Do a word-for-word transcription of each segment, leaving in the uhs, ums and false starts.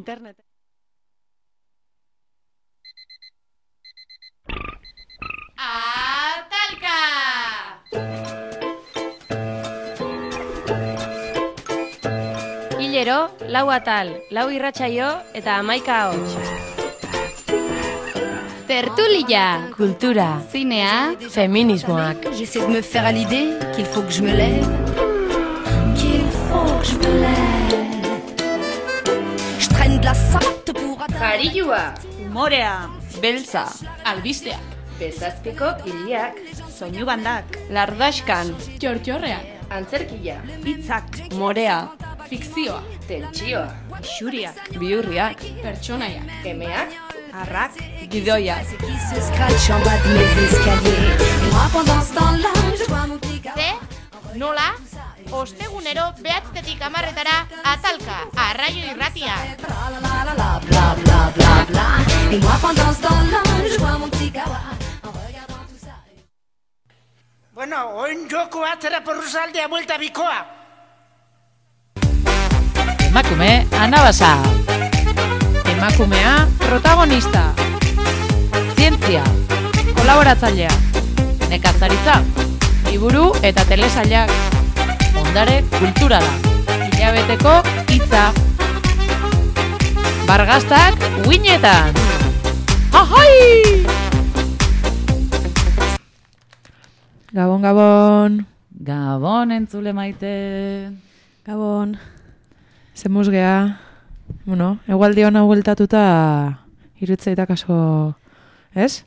internet. Atalka! Hilero, lau atal, lau irratsaio eta hamaika ahots. Tertulia! Kultura, Zinea! feminismoak. J'essaie de me faire à l'idée qu'il faut que je me lève, qu'il faut que je me lève. Je traîne de la sorte pour atteindre. Jarioa! Umorea, Beltza! Albisteak! Bezazpiko iliak! soinu bandak, Lardaskan! Txortxorrean! Antzerkia! hitzak, Morea! Fikzioa! Tentsioa! xuriak, Bihurriak! Pertsonaiak! Emeak! arrak, Gidoiak! Qui se scratch en bas de mes escaliers. Et moi pendant ce temps-là, je vois mon petit gars. Ze, nola, ostegunero behatzetik hamarretara atalka, arraio irratia. Bla la la la bla bla bla bla. Et moi pendant ce temps-là, je vois mon petit gars. En regardant tout ça. Bueno, oin joko atzera porruzaldea buelta bikoa. Emakume anabasa. Emakumea protagonista. Zientzia, kolaboratzailea. Nekazaritza, liburu eta telesailak. Ondare kulturala. Hilabeteko hitza. Bargaztak uinetan. Ahai! Gabon, gabon. Gabon entzule maite. Gabon. Zemuz geha. Bueno, egualdi hona hueltatuta irutzea kaso, ez?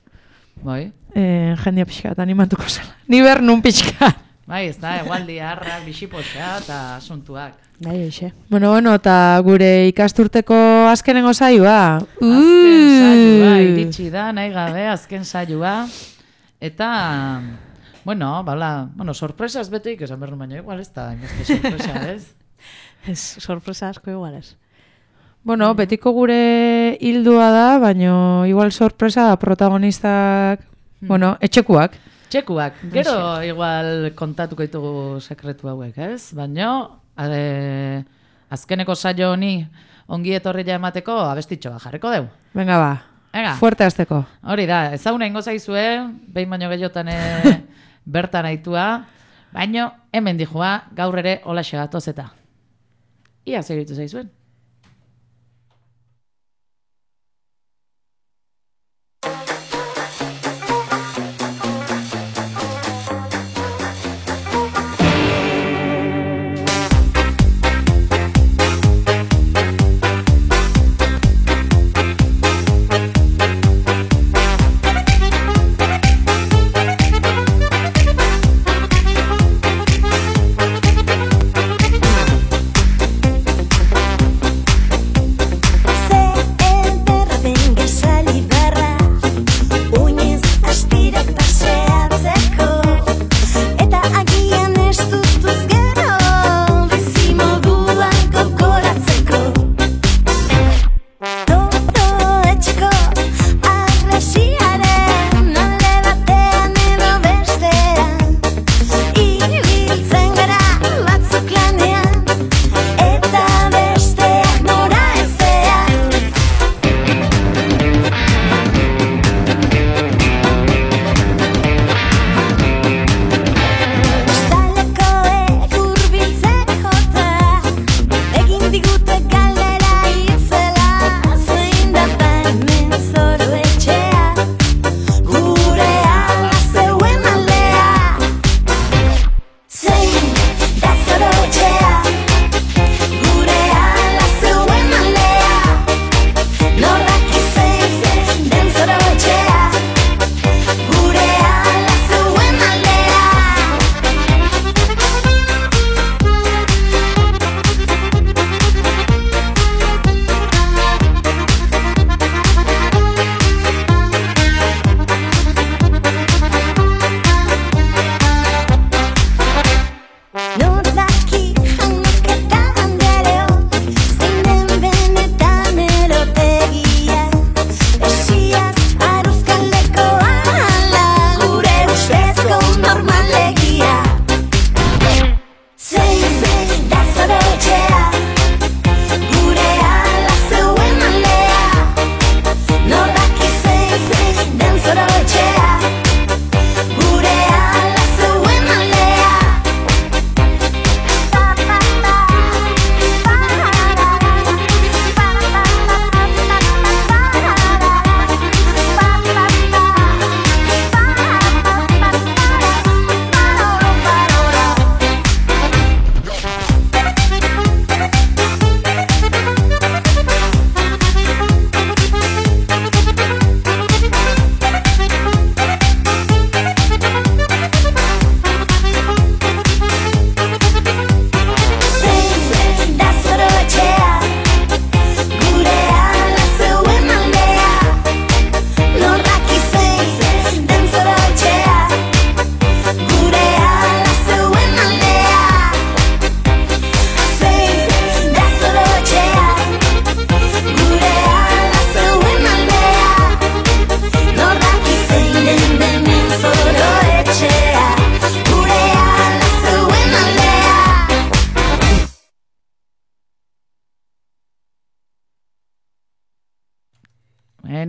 Bai. E, jendia pixkat animatuko zela. Ni ber nun pixkat. Bai, ez da, egualdi harrak, bisipotxa eta asuntuak. Bai, eixe. Bueno, bueno, eta gure ikasturteko azkenengo saioa. Azken saioa, iritsi da, nahi gabe, azken saioa. Eta, bueno, bala, bueno, sorpresaz beteik esan berru baina, igual ez da, inbeste sorpresa, ez? Ez, sorpresa asko igual ez. Bueno, betiko gure hildua da, baino igual sorpresa da protagonistak, hmm. bueno, etxekuak. Txekuak, gero igual kontatuko ditugu sekretu hauek, ez? Baina, ade, azkeneko saio honi ongi etorria emateko abestitxo bat jarriko deu. Venga ba, Ega. fuerte azteko. Hori da, ezaguna ingo zaizue, behin baino gehiotan bertan aitua, baino hemen dijua gaur ere holaxe gatoz eta. Ia segitu zaizuen.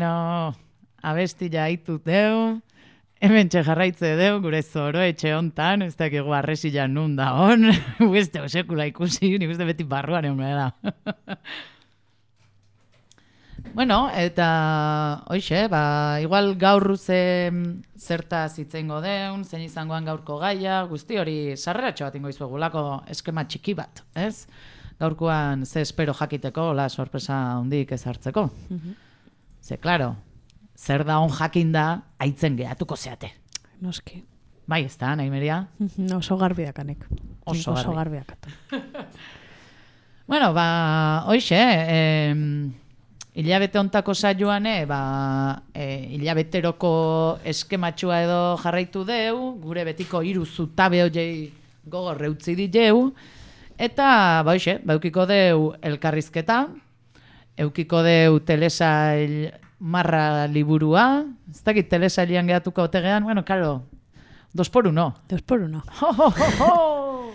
bueno, abestila haitut deu, hemen jarraitze deu, gure zoro etxe hontan, ez dakigu arresila nun da hon, beste osekula ikusi, nik uste beti barruan egon da. Bueno, eta hoxe, ba, igual gaur ze zertaz itzengo deun, zein izangoan gaurko gaia, guzti hori sarreratxo bat ingo izuegulako eskema txiki bat, ez? Gaurkoan ze espero jakiteko, la sorpresa hundik ez hartzeko. Mm-hmm. Ze, klaro, zer da on jakinda aitzen gehatuko zeate. Noski. Bai, ez da, nahi meria? Mm-hmm. Oso garbiakanek. Oso, Oso garbi. garbiakatu. Bueno, ba, hoxe, eh, hilabete ontako saioan, eh, ba, eh, hilabeteroko eskematxua edo jarraitu deu, gure betiko hiru zutabe hoiei gogor reutzi diteu, eta, ba, hoxe, ba, eukiko deu elkarrizketa, eukiko deu telesail marra liburua, ez dakit telesailian gehatuko otegean, bueno, karo, dos por uno. Dos por uno. Ho, ho, ho, ho.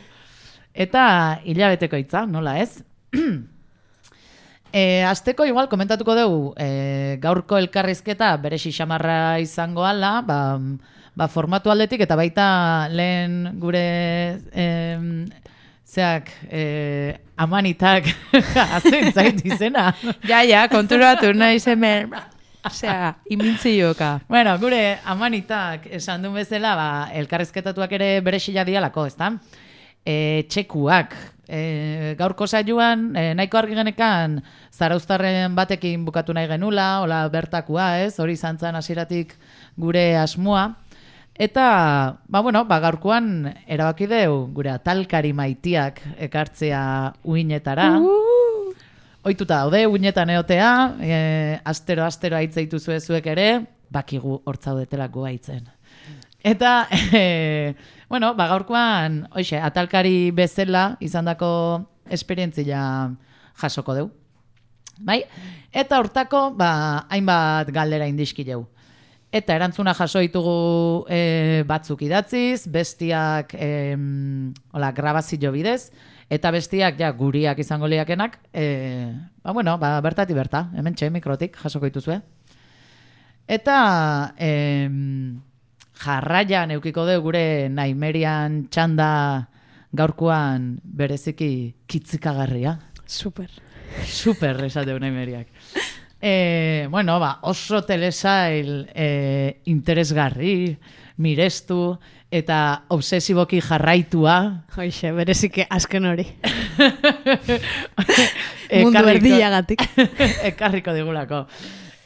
Eta hilabeteko hitza, nola ez? E, azteko igual komentatuko dugu e, gaurko elkarrizketa bere xixamarra izango ala, ba, ba formatu aldetik eta baita lehen gure e, zeak e, amanitak azten zait izena. Ja, ja, konturatu nahi zemen, osea, imintzioka. Bueno, gure amanitak esan duen bezala, ba, elkarrizketatuak ere bere xila dialako, ezta? E, txekuak. E, gaurko saioan, e, nahiko argi genekan zarauztarren batekin bukatu nahi genula, hola bertakua, ez? Hori izan zen hasieratik gure asmoa. Eta, ba, bueno, ba, gaurkoan erabaki deu gure atalkari maitiak ekartzea uinetara. Uh! Ohituta daude uinetan eotea, e, astero-astero aitzeitu zuezuek ere, bakigu hortzaudetelako aitzen. Eta, e, bueno, ba, gaurkoan, oixe, atalkari bezala izandako esperientzia jasoko deu. Bai? Eta hortako, ba, hainbat galdera indiskileu. Eta erantzuna jaso ditugu e, batzuk idatziz, bestiak e, hola, grabazio bidez, eta bestiak ja guriak izango liakenak, e, ba, bueno, ba, bertati berta, hemen txe mikrotik jasoko dituzue. Eta e, jarraian eukiko dugu gure Naimerian txanda gaurkoan bereziki kitzikagarria. Super. Super esateu Naimeriak. E, bueno, ba, oso telesail e, interesgarri, mirestu eta obsesiboki jarraitua. Hoixe, bereziki azken hori. Mundu erdiagatik. Ekarriko digulako.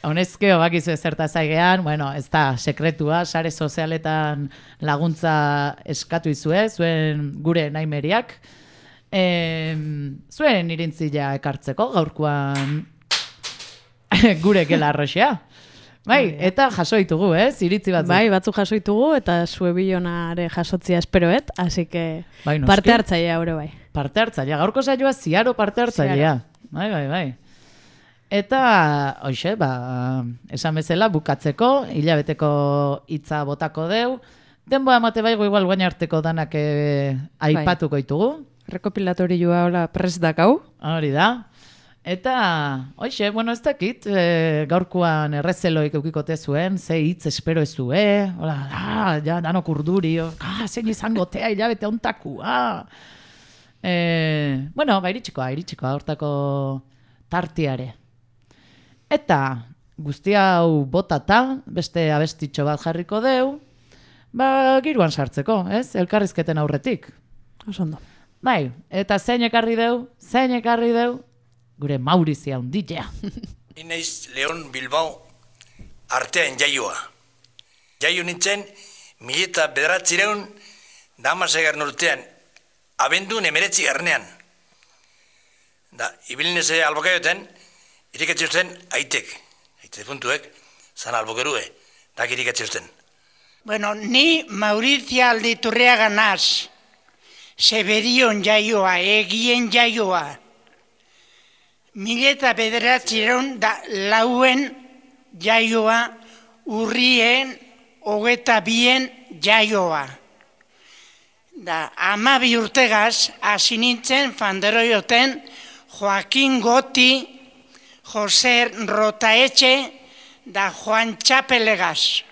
Honezkeo bakizu ezerta zaigean, bueno, ez da sekretua, sare sozialetan laguntza eskatu izue, zuen gure Naimeriak. E, zuen irintzila ekartzeko, gaurkoan gure gela arroxea. Bai, eta jaso ditugu, ez? Iritzi batzuk. Bai, batzuk jaso ditugu, eta zue bilonare jasotzia esperoet, así que bai, parte hartzailea ore bai. Parte hartzailea, gaurko saioa ziaro parte hartzailea. Bai, bai, bai. Eta, hoxe, ba, esan bezala, bukatzeko, hilabeteko hitza botako deu. Denboa emate baigo igual guain arteko danak e, aipatuko ditugu. Rekopilatorioa hola prest dakau. Hori da. Eta, hoxe, bueno, ez dakit, e, gaurkoan errezeloik eukikote zuen, ze hitz espero ezue, hola, ah, ja, danok urduri, ah, zein izango tea hilabete ontakua. E, bueno, ba, iritsikoa, iritsikoa, hortako tartiare. Eta guzti hau botata, beste abestitxo bat jarriko deu, ba, giruan sartzeko, ez? Elkarrizketen aurretik. Osondo. Bai, eta zein ekarri deu, zein ekarri deu, gure Maurizia hunditea. Inaiz Leon Bilbao artean jaioa. Jaio nintzen, mila eta bederatzireun damasegarren urtean, abendun emeretzi garnean. Da, ibilineze albokaioten, irikatziusten aitek, aite puntuek, zan albokerue, dak irikatziusten. Bueno, ni Maurizia Alditurriaga naz, Seberion jaioa, egien jaioa. Mila eta bederatzireun da lauen jaioa, urrien, hogeta bien jaioa. Da, amabi urtegaz, hasi nintzen fanderoioten Joaquin Goti, Jose Rotaetxe, da Juan Txapelegaz.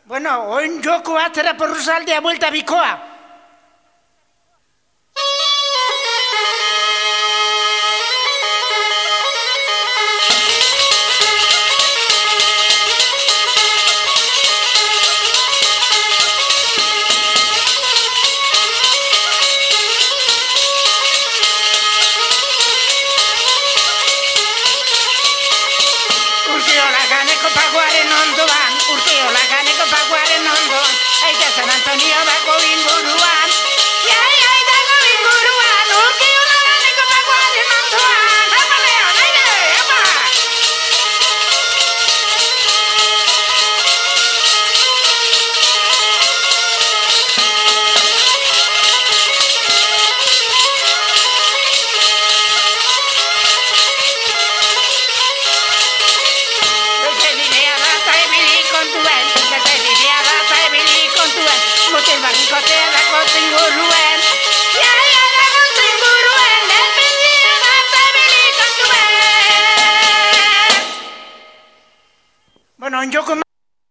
Bueno, oin joko atera porruzaldea buelta bikoa. San Antonio dago inguruan, jai, jai dago inguruan, urkiola ganeko paguaren ondoan, apa Leon, aire, apa! Beste bidea da ta ibili kontuen, beste bidea da ta ibili kontuen, motel barrikotea dago zinguruen, jai, jai dago zinguruen, beste bidea da ta ibili kontuen. Bueno, onjoko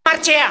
martxea.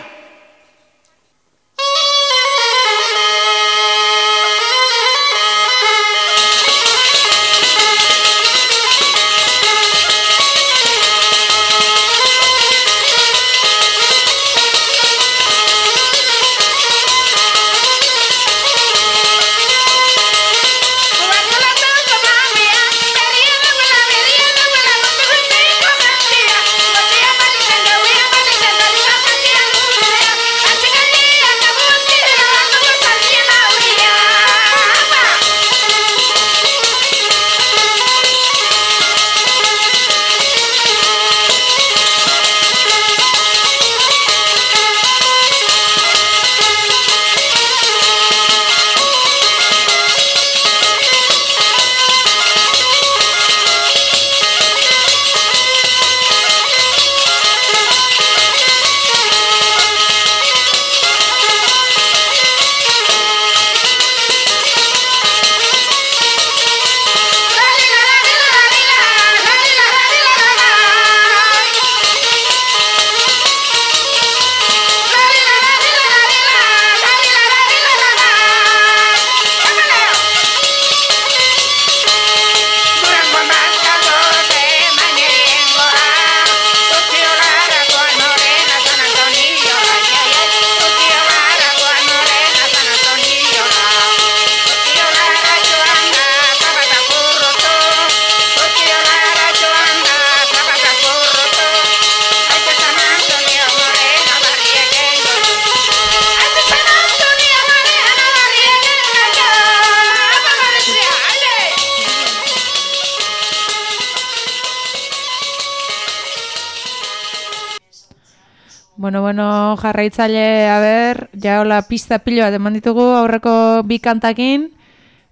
Bueno, bueno, jarraitzaile, a ber, ja hola pista pilo bat eman ditugu aurreko bi kantakin.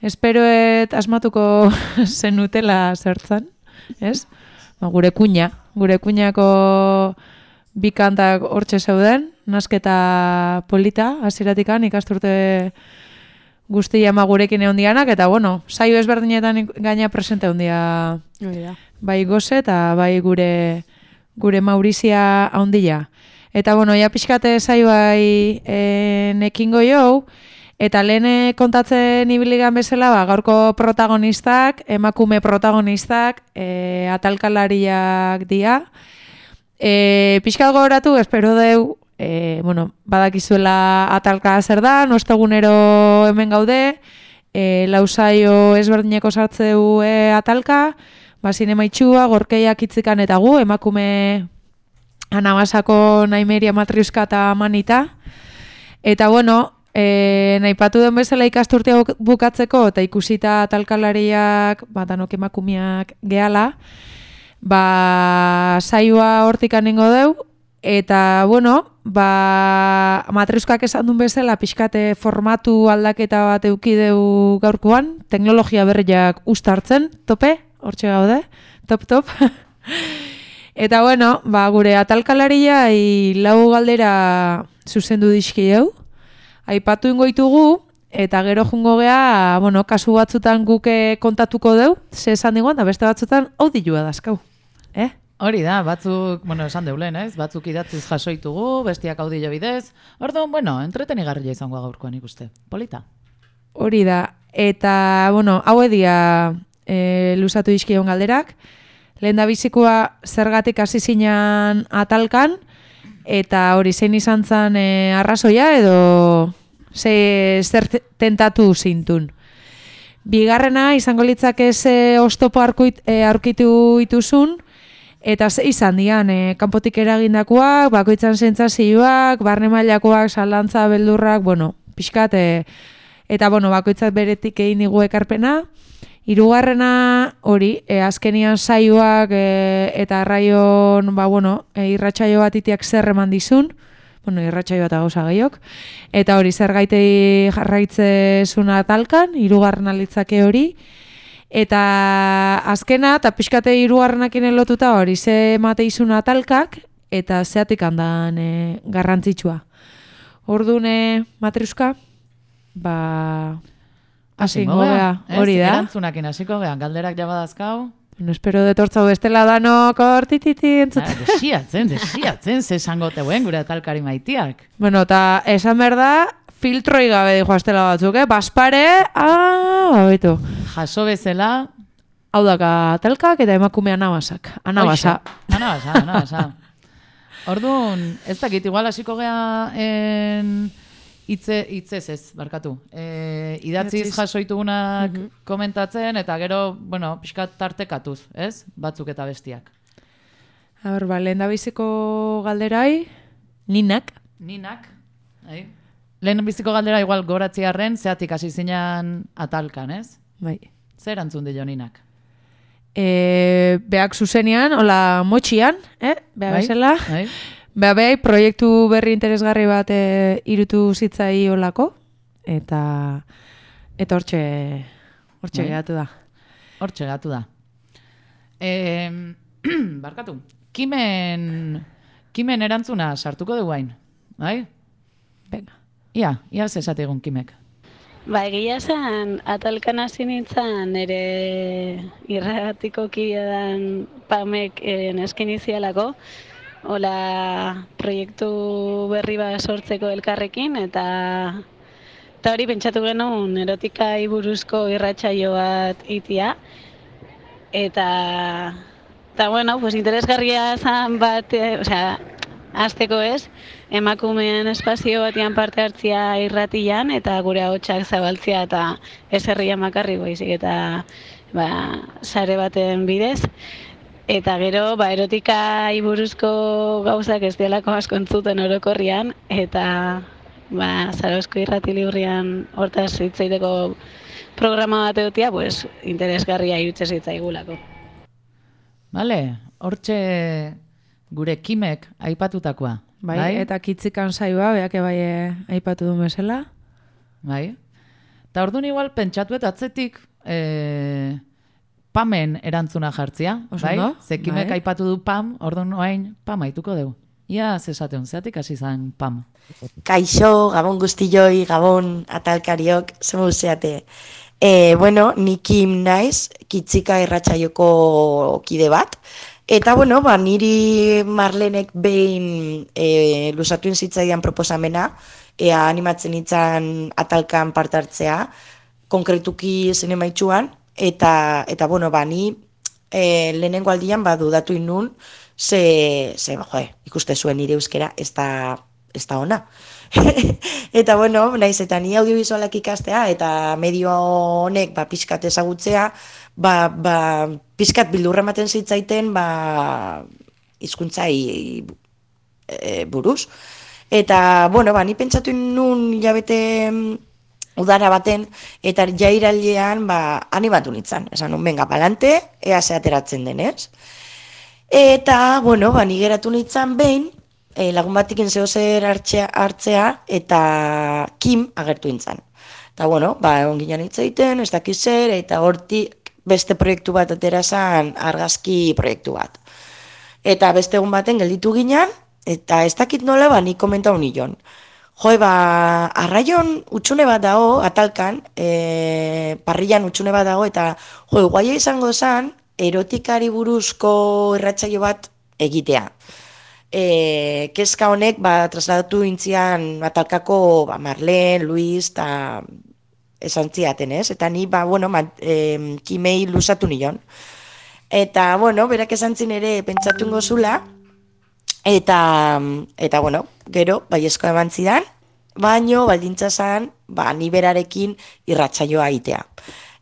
Esperoet asmatuko zenutela zertzan, ez? Ba, gure kuña, gure kuñako bi kantak hortxe zeuden, nasketa polita, hasieratikan ikasturte guztia ama gurekin egon dianak, eta bueno, saio ezberdinetan gaina presente egon dia bai goze eta bai gure gure Maurizia haundia. Eta bueno, ja pixkate zaibai e, nekingo jau, eta lehen kontatzen ibiligan bezala, ba, gaurko protagonistak, emakume protagonistak, e, atalkalariak dira. E, pixkat gogoratu, espero deu, e, bueno, badakizuela atalka zer da, nostegunero hemen gaude, e, lausaio ezberdineko sartzeu e, atalka, ba, zinema itxua, gorkeiak itzikan eta gu, emakume Anabasako Naimeria Matriuska eta Manita. Eta bueno, e, naipatu den bezala ikasturtea bukatzeko eta ikusita talkalariak, ba, danok emakumeak gehala, ba, saioa hortik aningo deu, eta bueno, ba, Matriuskak esan duen bezala pixkate formatu aldaketa bat eukideu gaurkoan, teknologia berriak ustartzen, tope, hortxe gaude, top top. Eta bueno, ba, gure atalkalaria lau galdera zuzendu dizki hau. Aipatu ingoitugu, eta gero jungo gea, bueno, kasu batzutan guke kontatuko deu, ze esan digoan, da beste batzutan audilua dazkau. Eh? Hori da, batzuk, bueno, esan deulen, ez? Batzuk idatziz jasoitugu, bestiak audillo bidez. Orduan, bueno, entretenigarria izango gaurkoan ikuste. Polita. Hori da. Eta, bueno, hau edia e, luzatu dizkion galderak. Lehen da bizikoa zergatik hasi zinan atalkan, eta hori zein izan zen e, arrazoia edo ze, zer tentatu zintun. Bigarrena izango litzake ze oztopo aurkuit, e, aurkitu ituzun, eta ze izan dian, e, kanpotik eragindakoak, bakoitzan sentsazioak, barne mailakoak, zalantza, beldurrak, bueno, pixkat, e, eta bueno, bakoitzat beretik egin digu ekarpena. Hirugarrena hori, e, azkenian saioak e, eta arraion, ba, bueno, e, irratsaio bat itiak zer eman dizun, bueno, irratsaio bat gauza gehiok, eta hori zer gaitei jarraitzezuna atalkan, hirugarrena litzake hori, eta azkena, eta pixkate hirugarrenakin lotuta hori, ze emate izuna atalkak, eta zeatik handan e, garrantzitsua. Orduan, e, Matriuska, ba... Hasiko gea, hori da. Erantzunakin hasiko gean, galderak jabadazkau. No espero detortzau bestela danok hortititi entzut. Ah, desiatzen, desiatzen, ze esango teuen gure atalkari maitiak. Bueno, eta esan behar da, filtroi gabe dijo astela batzuk, eh? Baspare, ah, babetu. Jaso bezala. Hau daka atalkak eta emakume anabasak. Anabasa. Anabasa, anabasa. Orduan, ez dakit, igual hasiko gea en... Itze, itzez ez, barkatu. E, idatziz jasoitugunak mm-hmm. komentatzen, eta gero, bueno, pixkat tartekatuz, ez? Batzuk eta bestiak. A ber, ba, lehen da biziko galderai, ninak. Ninak, hai. Lehen biziko galdera igual goratziarren, zeatik hasi zinan atalkan, ez? Bai. Zer antzun dio ninak? E, beak zuzenian, hola motxian, eh? Bea bai? bezala. Bai. Beha behai, proiektu berri interesgarri bat e, irutu zitzai olako, eta eta hortxe hortxe geratu da. Hortxe geratu da. E, barkatu, kimen, kimen erantzuna sartuko dugu hain, bai? Venga. Ia, ia zesate egun kimek. Ba, egia zen, atalkan hasi nintzen, ere irratiko kidean pamek e, nesken izialako, hola proiektu berri bat sortzeko elkarrekin, eta eta hori pentsatu genuen erotikai buruzko irratsaio bat itia, eta eta bueno, pues interesgarria zen bat, e, osea, hasteko ez, emakumeen espazio batian parte hartzia irratian, eta gure ahotsak zabaltzia eta ez herria makarri baizik eta ba, sare baten bidez. Eta gero, ba, erotika buruzko gauzak ez dialako asko entzuten orokorrian, eta ba, Zarauzko irrati liburrian hortaz hitzaiteko programa bat edutia, pues, interesgarria irutze zitzaigulako. Vale, hortxe gure kimek aipatutakoa. Bai, bai? Eta kitzikan saioa, beak bai aipatu du bezala. Bai. Eta orduan igual pentsatu eta atzetik... E... Pamen erantzuna jartzia, bai? Zekimek bai. Aipatu du Pam, orduan oain Pam aituko dugu. Ia zesateun, zeatik hasi zan Pam. Kaixo, gabon guztioi, gabon atalkariok, zemu zeate. E, bueno, ni Kim naiz, kitzika irratsaioko kide bat. Eta, bueno, ba, niri Marlenek behin e, lusatu inzitzaidan proposamena, ea animatzen itzan atalkan parte hartzea, konkretuki zinemaitxuan, Eta, eta bueno, ba, ni e, lehenengo aldian ba, dudatu inun, ze, ze joe, ikuste zuen nire euskera, ez da, ez da ona. Eta, bueno, naiz, eta ni audiovisualak ikastea, eta medio honek ba, pixkat ezagutzea, ba, ba, pixkat bildurra ematen zitzaiten ba, hizkuntzai e, buruz. Eta, bueno, ba, ni pentsatu inun jabete... udara baten, eta jairaldean ba, animatu nintzen. Esan nun, venga, palante, ea ze ateratzen denez. Eta, bueno, ba, nigeratu nintzen behin, e, lagun batikin zeo zer hartzea, hartzea, eta Kim agertu nintzen. Eta, bueno, ba, egon ginen hitz egiten, ez dakiz zer, eta hortik beste proiektu bat atera zen, argazki proiektu bat. Eta beste egun baten gelditu ginen, eta ez dakit nola, ba, nik komentau nion. Jo, ba, arraion utxune bat dago, atalkan, e, parrillan utxune bat dago, eta jo, guaia izango zen, erotikari buruzko irratsaio bat egitea. E, kezka honek ba, trasladatu intzian atalkako ba, Marlen, Luis eta esan ziaten, ez? Eta ni, ba, bueno, ma, e, kimei lusatu nion. Eta, bueno, berak esan zin ere pentsatu gozula, eta, eta, bueno, gero, baiezko eman zidan, baino, baldintza zan, ba, ni berarekin irratsaioa egitea.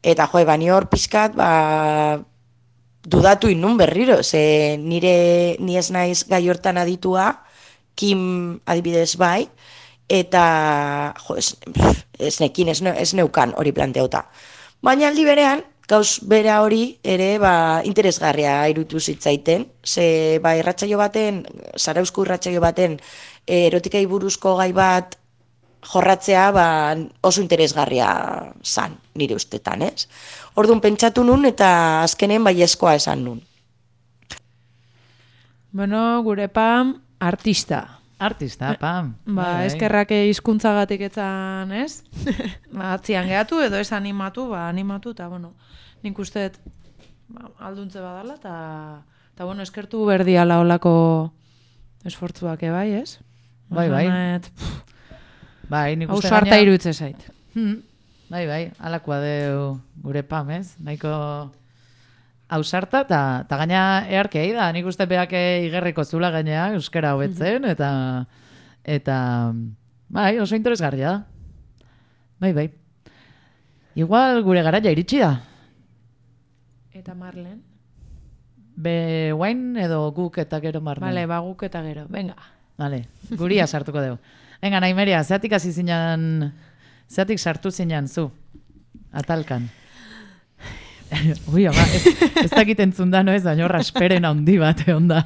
Eta, jo, ba, ni hor pixkat, ba, dudatu inun berriro, ze nire ni ez naiz gai hortan aditua, Kim adibidez bai, eta jo, ez, ez nekin, ez, ez neukan hori planteauta. Baina aldi berean, gauz bera hori ere ba, interesgarria irutu zitzaiten, ze ba, irratsaio baten, Zarauzko irratsaio baten erotikai buruzko gai bat jorratzea ba, oso interesgarria zan, nire ustetan, ez? Orduan pentsatu nun eta azkenen baiezkoa esan nun. Bueno, gure Pam, artista. Artista, Pam. Ba, eskerrak hizkuntzagatik etzan, ez? Ba, atzian gehatu edo ez animatu, ba, animatu, eta, bueno, nik uste ba, alduntze badala, eta, eta, bueno, eskertu berdiala olako esfortzuak ebai, ez? Bai, bai. Banet, bai, nik uste gaina... Ausarta irutze zait. Hmm. Bai, bai, alakoa deu gure Pam, ez? Nahiko ausarta, eta gaina earkei da, nik uste beak igerriko zula gainea, euskara hobetzen, eta, eta, bai, oso interesgarria da. Bai, bai. Igual gure garaia iritsi da. Eta Marlen? Be, guain edo guk eta gero Marlen? Bale, ba guk eta gero, venga. Bale, guria sartuko deu. Venga, Naimeria, zeatik hasi zinan... Zeatik sartu zinean zu, atalkan. Ui, ama, ez, ez dakit entzunda, no ez, baina rasperen handi bat egon da.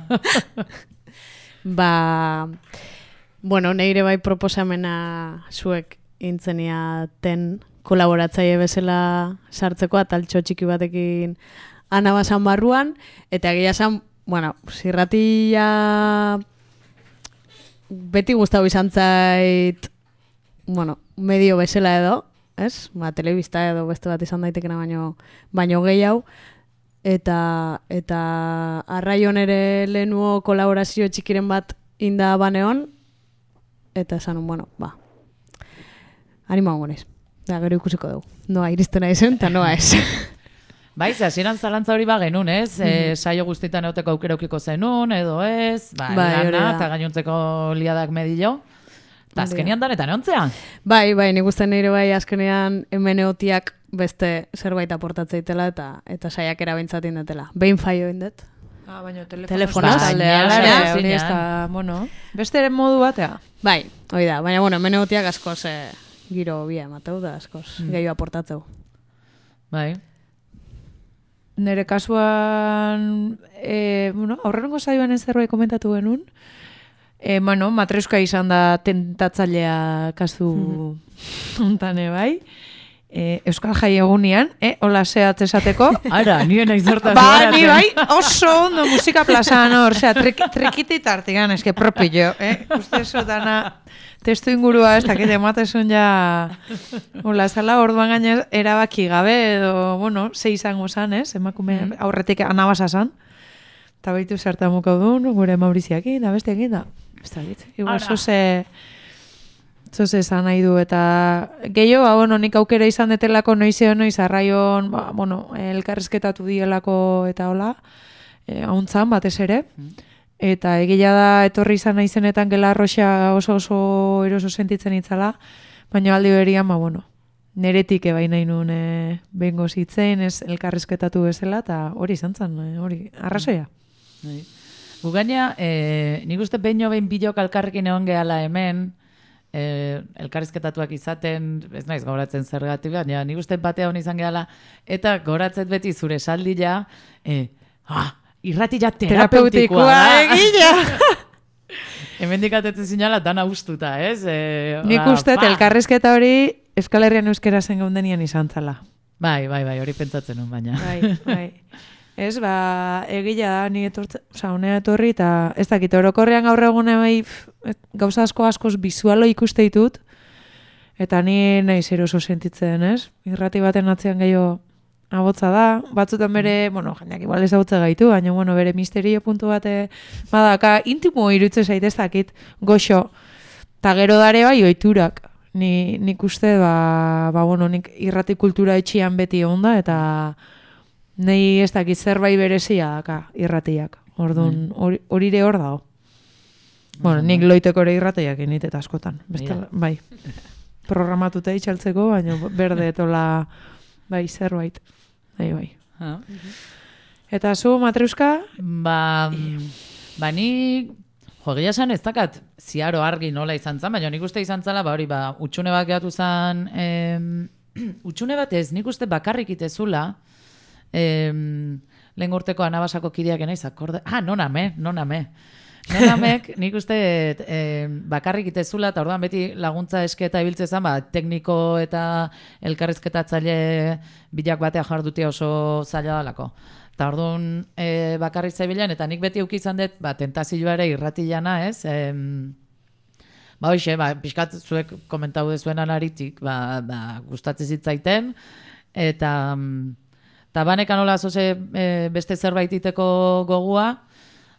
Ba, bueno, neire bai proposamena zuek intzeniaten kolaboratzaile bezala sartzeko ataltxo txiki batekin anabasan barruan, eta egia esan, bueno, zirratia beti gustau izan zait, bueno, medio bezala edo, ez? Ba, telebista edo beste bat izan daitekena baino, baino gehiago. Eta, eta arraion ere lehenuo kolaborazio txikiren bat inda baneon, eta esan, bueno, ba, anima hongonez. Da, gero ikusiko dugu. Noa iristen aizen, eta noa ez. Bai, ze hasieran zalantza hori ba genuen, ez? Mm-hmm. E, saio guztietan euteko aukeraukiko zenun, edo ez? Ba, bai, lana, eta gainontzeko liadak medillo. Eta azkenean danetan eontzea? Bai, bai, nik uste nire bai azkenean hemen eotiak beste zerbait aportatzeitela eta eta saiak erabaintzatin detela. Behin faio indet. Ah, baina telefonaz aldea. Hori ez da, bueno, beste ere modu batea. Bai, hori da, baina bueno, hemen eotiak askoz eh, giro bia emateu da, askoz mm. gehiago aportatzeu. Bai. Nire kasuan, e, bueno, aurrengo saioan ez zerbait komentatu genuen, E, bueno, matreska izan da tentatzailea kasu hontane mm. bai. E, Euskal Jai egunean, eh, hola zehatz esateko. Ara, nire nahi zortaz. Ba, ni bai, oso ondo musika plazan hor, osea, trikitit artigan, eske propio, eh? Uste esotana testu ingurua ez dakit ematesun ja hola zala, orduan gainez erabaki gabe edo, bueno, ze izango zan, ez? Emakume mm. aurretik anabasa zan. Eta baitu zertamukau duen, gure Mauriziakin, da besteakin da. Ez da dit, igual zoze, zoze zan nahi du, eta gehiago, ba, bueno, nik aukera izan detelako noizeo noiz, arraion, ba, bueno, elkarrizketatu dielako eta hola, e, hauntzan batez ere, eta egia da etorri izan naizenetan gela arroxa oso oso eroso sentitzen itzala, baina aldi berian, ba, bueno, neretik ebai nahi nuen e, bengo zitzen, ez elkarrizketatu bezala, eta hori izan zen, hori, arrazoia. Bai. Gu gaina, e, nik uste behin behin bidok alkarrekin egon gehala hemen, e, elkarrizketatuak izaten, ez naiz goratzen zergatik, baina nik uste batea hon izan gehala, eta goratzet beti zure saldila, e, ah, irratila terapeutikoa da. Egila! Hemen dikatetzen zinala, dana ustuta, ez? E, nik uste, elkarrizketa hori Euskal Herrian euskera zen gaundenian izan zala. Bai, bai, bai, hori pentsatzen nun, baina. Bai, bai. Ez, ba, egila da, ni etortzen, oza, honea etorri, eta ez dakit, orokorrean gaur egune bai, gauza asko askoz bizualo ikuste ditut, eta ni nahi zer oso sentitzen, ez? Irrati baten atzean gehiago abotza da, batzutan bere, bueno, jendeak igual ez abotza gaitu, baina, bueno, bere misterio puntu bate, badaka, intimo irutze zaitez dakit, goxo, eta gero dare bai oiturak, ni, nik uste, ba, ba, bueno, nik irrati kultura etxian beti onda, eta nei ez dakit zerbait berezia daka irratiak, orduan, hori mm. hor dago. Bueno, nik loiteko ere irratiak init eta askotan, bestela, bai. Programatuta itxaltzeko, baina berde etola, bai, zerbait. Bai, bai. Ah. Eta zu, Matreuska? Ba, ba ni, jo, gila esan ez dakat, ziaro argi nola izan zan, baina nik uste izan zala, ba hori, ba, utxune bat gehatu zan, em, utxune bat ez, nik uste bakarrik itezula, em, lehen urteko anabasako kideak enaiz, akorde, ah, noname, noname. Nonamek, nik uste eh, bakarrik itezula, eta orduan beti laguntza eske eta ibiltze zen, ba, tekniko eta elkarrizketatzaile bilak batea jardutia oso zaila dalako. Eta orduan eh, bakarrik zaibilan, eta nik beti ukizan dut, ba, tentazioa ere irratilana, ez? Eh, ba, hoxe, ba, pixkat zuek komentau dezuen anaritik, ba, ba, gustatzen zitzaiten, eta, eta banekan hola zoze eh, beste zerbait iteko gogua,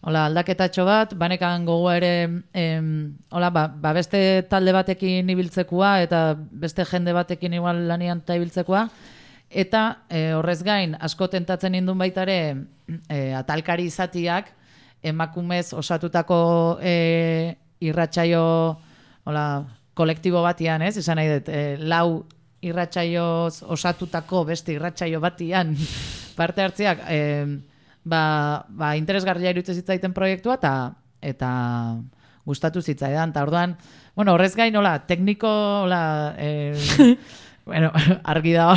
hola, aldaketatxo bat, banekan gogoa ere, em, hola, ba, ba beste talde batekin ibiltzekua eta beste jende batekin igual lanian eta ibiltzekua, eta e, horrez gain, asko tentatzen indun baita ere e, atalkari izatiak, emakumez osatutako e, irratsaio, hola, kolektibo batian, ez? Esan nahi dut, e, lau irratsaioz osatutako beste irratsaio batian parte hartzeak, e, Ba, ba interesgarria iruditzen zitzaiten proiektua eta eta gustatu zitzaidan. Ta orduan, bueno, horrez gain hola, tekniko hola, eh, bueno, argi dago.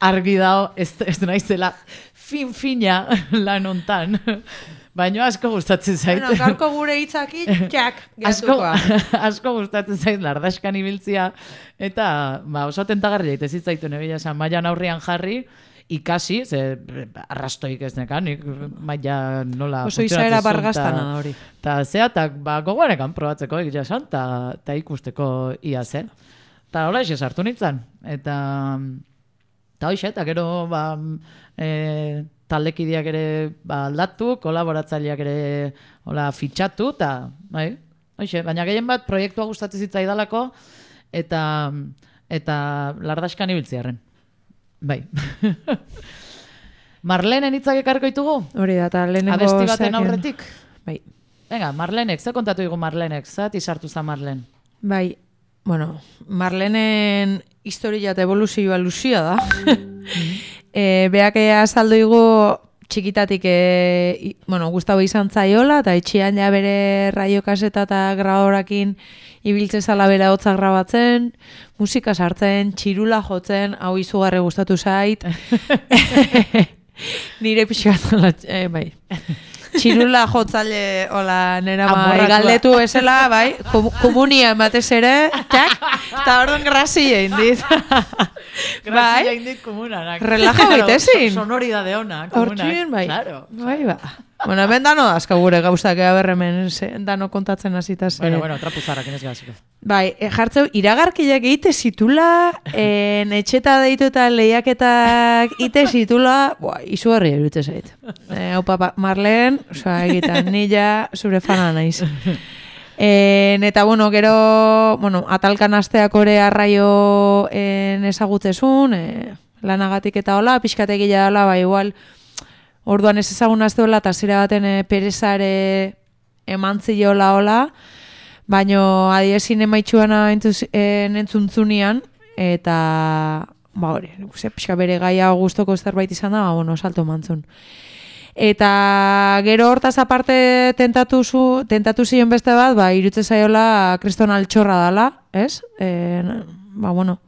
argi dago, ez, ez naizela fin fina lan hontan. Baina asko gustatzen zait. Bueno, gaurko gure hitzaki jak geratukoa. Asko, asko gustatzen zait lardaskan ibiltzia eta ba oso tentagarria ite zitzaituen egia esan mailan aurrian jarri. Ikasi, ze arrastoik ez nekan, nik maila nola oso izaera bargastana da hori. Ta zeatak, ba, gogoanekan probatzeko egia esan, ta ikusteko ia zen. Ta hola ese sartu nintzen. Eta, ta hoxe, eta gero, ba, e, taldekideak ere ba, aldatu, kolaboratzaileak ere hola, fitxatu, eta, bai, hoxe, baina gehien bat proiektua gustatzen zitzaidalako, eta, eta lardaskan ibiltziarren. Bai. Marlenen hitzak ekarriko ditugu? Hori da, eta lehenengo... Abesti baten aurretik? Bai. Venga, Marlenek, ze kontatu digu Marlenek? Zati sartu za Marlen? Bai, bueno, Marlenen historia eta evoluzioa luzia da. e, beak azaldu digu txikitatik, e, bueno, Gustavo izan zaiola, eta etxian ja bere raiokaseta eta grabadorakin ibiltze zala bera hotza grabatzen, musika sartzen, txirula jotzen, hau izugarri gustatu zait. Nire pixkat, eh, bai. Txirula jotzale, hola, nera ma, galdetu esela, bai, komunia ematez ere, txak, eta orduan grazia indit. Grazia indit komunanak. Relaja baitezin. Sonoridade ona, komunak. Hortxin, bai. Claro. Bai, ba. Bueno, hemen dano dazka gure gauzak ea berremen, dano kontatzen hasita ze. Bueno, bueno, trapuzarrak inez gaziko. Bai, e, jartzeu, iragarkiak egite zitula, en, etxeta deitu eta lehiaketak ite zitula, boa, izu herri erute zait. E, hau papa, Marlen, oza, egitan, nila zure fana naiz. En, eta, bueno, gero, bueno, atalkan asteak ore arraio en, ezagutzezun, e, lanagatik eta hola, pixkategila hola, ba, igual, orduan ez ezagun azteola, eta zira baten e, perezare emantziola hola, baino adiezin emaitxuana entzuntzunian, eta, ba hori, pixka bere gaia gustoko zerbait izan da, ba, bueno, salto mantzun. Eta gero hortaz aparte tentatu, zu, tentatu zion beste bat, ba, irutze zaiola kriston altxorra dala, ez? E, ba, bueno,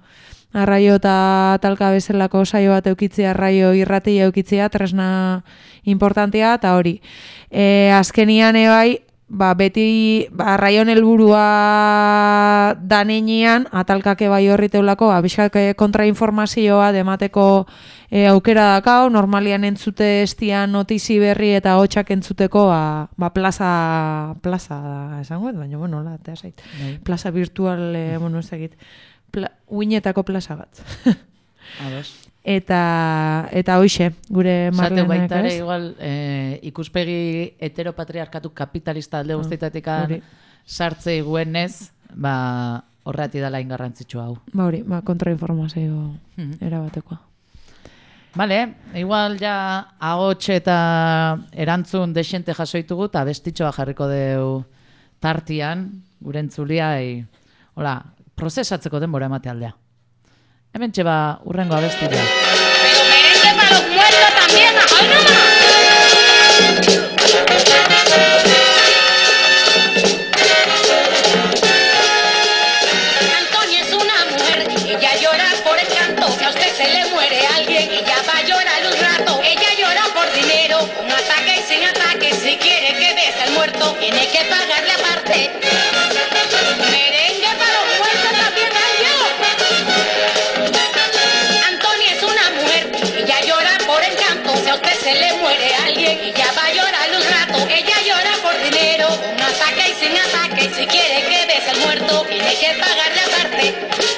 arraio eta talka bezalako saio bat eukitzea, arraio irratia eukitzea, tresna importantea, eta hori. E, azkenian ebai, ba, beti ba, arraion helburua danenean, atalkake bai horriteulako, ba, bizkak kontrainformazioa demateko e, aukera dakau, normalian entzute estian notizi berri eta hotxak entzuteko, ba, ba plaza, plaza da, esango, baina, bueno, la, zait. Plaza virtual, e, bueno, ez dakit, Pla, uinetako plaza bat. Ados. Eta, eta hoixe, gure Marlenek, Marlenek, baita ere, ez? igual, eh, ikuspegi heteropatriarkatu kapitalista alde guztietatik hori. sartzei guenez, ba, horrati dela ingarrantzitsu hau. Ba hori, ba, kontrainformazio Mhm. erabatekoa. Bale, igual ja ahots eta erantzun desente jasoitugu eta bestitxoa jarriko deu tartian, gure entzuliai, hola, prozesatzeko denbora emate aldea. Hemen txeba urrengo abestia. Pero merengue para los muertos también, ¡ay nomás! Antonia es una mujer, ella llora por el canto. Si a usted se le muere alguien, ella va a llorar un rato. Ella llora por dinero, con ataque y sin ataque. Si quiere que bese al muerto, tiene que pagarle aparte. Merengue para los muertos también, ¡ay yo! Antonia es una mujer, ella llora por el canto. Si a usted se le muere alguien, ella va a llorar un rato. Ella llora por dinero, con ataque y sin ataque. Si quiere que bese al muerto, tiene que pagarle aparte.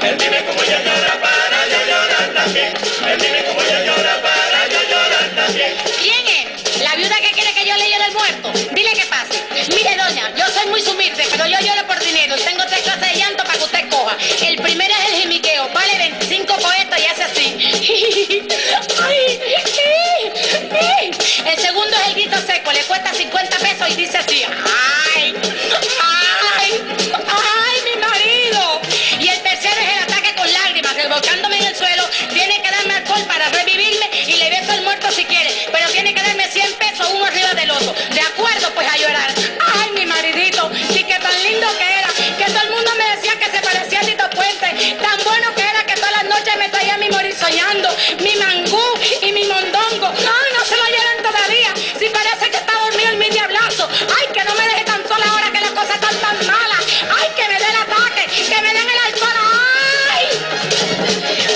Él dime cómo ella llora para yo llorar también. Él dime cómo ella llora para yo llorar también. ¿Quién es? ¿La viuda que quiere que yo le llore el muerto? Dile que pase. Mire, doña, yo soy muy humilde, pero yo lloro por dinero. Tengo tres clases de llanto para que usted coja. El primero es el jimiqueo, vale veinticinco poetas y hace así. El segundo es el grito seco, le cuesta cincuenta pesos y dice así. ¡Ay! ¡Ay! ¡Ay, mi marido! Y el tercero es el ataque con lágrimas, revolcándome en el suelo. Tiene que darme alcohol para revivirme y le beso al muerto si quiere. Pero tiene que darme cien pesos uno arriba del otro. De acuerdo, pues a llorar. ¡Ay, mi maridito! Sí que tan lindo que era. Que todo el mundo me decía que se parecía a Tito Puente. Tan bueno que era que todas las noches me traía mi morir soñando. Mi mangú y mi mondongo. ¡Ay, no se lo lloran todavía! Si parece que está dormido en mi diablazo. ¡Ay, que no me deje tan sola ahora que las cosas están tan malas! ¡Ay, que me dé el ataque! ¡Que me den el alcohol! ¡Ay!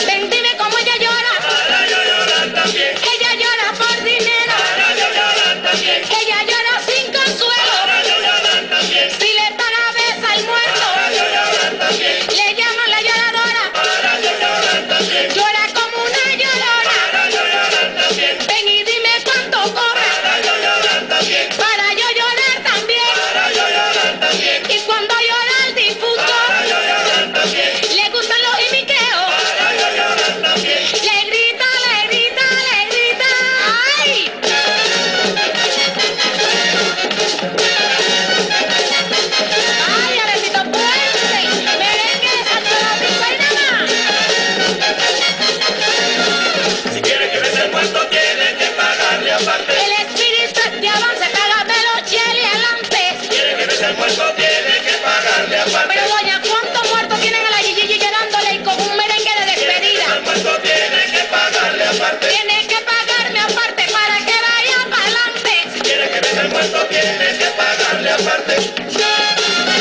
Ven, dime cómo ella llora. Para yo llorar también. Ella llora por dinero. Para yo llorar también. Ella llora sin consuelo. Para yo llorar también. Si le paga besa al muerto. Para yo llorar también. Le llaman la lloradora. Para yo llorar también. Llora como una llorona. Para yo llorar también. Ven y dime cuánto cobra. Para yo llorar también. Para yo llorar también. Para yo llorar también. Y cuando llora el difunto. Para yo llorar también. Le gustan los jimiqueos. Para yo llorar también. Le grita, le grita, le grita. ¡Ay! ¡Ay, Alecito Puente! ¡Merengue de Santo Domingo y nada más! Si quiere que bese el muerto, tiene que pagarle aparte. El espíritu es de avance, págamelo, chile adelante. Si quiere que bese el muerto, tiene que pagarle aparte. Pero doña, ¿cuántos muertos tienen a la Gigi llorándole y con un merengue de despedida? El muerto tiene que pagarle aparte. Tiene que pagarme aparte para que vaya para adelante. Si quiere que bese el muerto, tiene que pagarle aparte.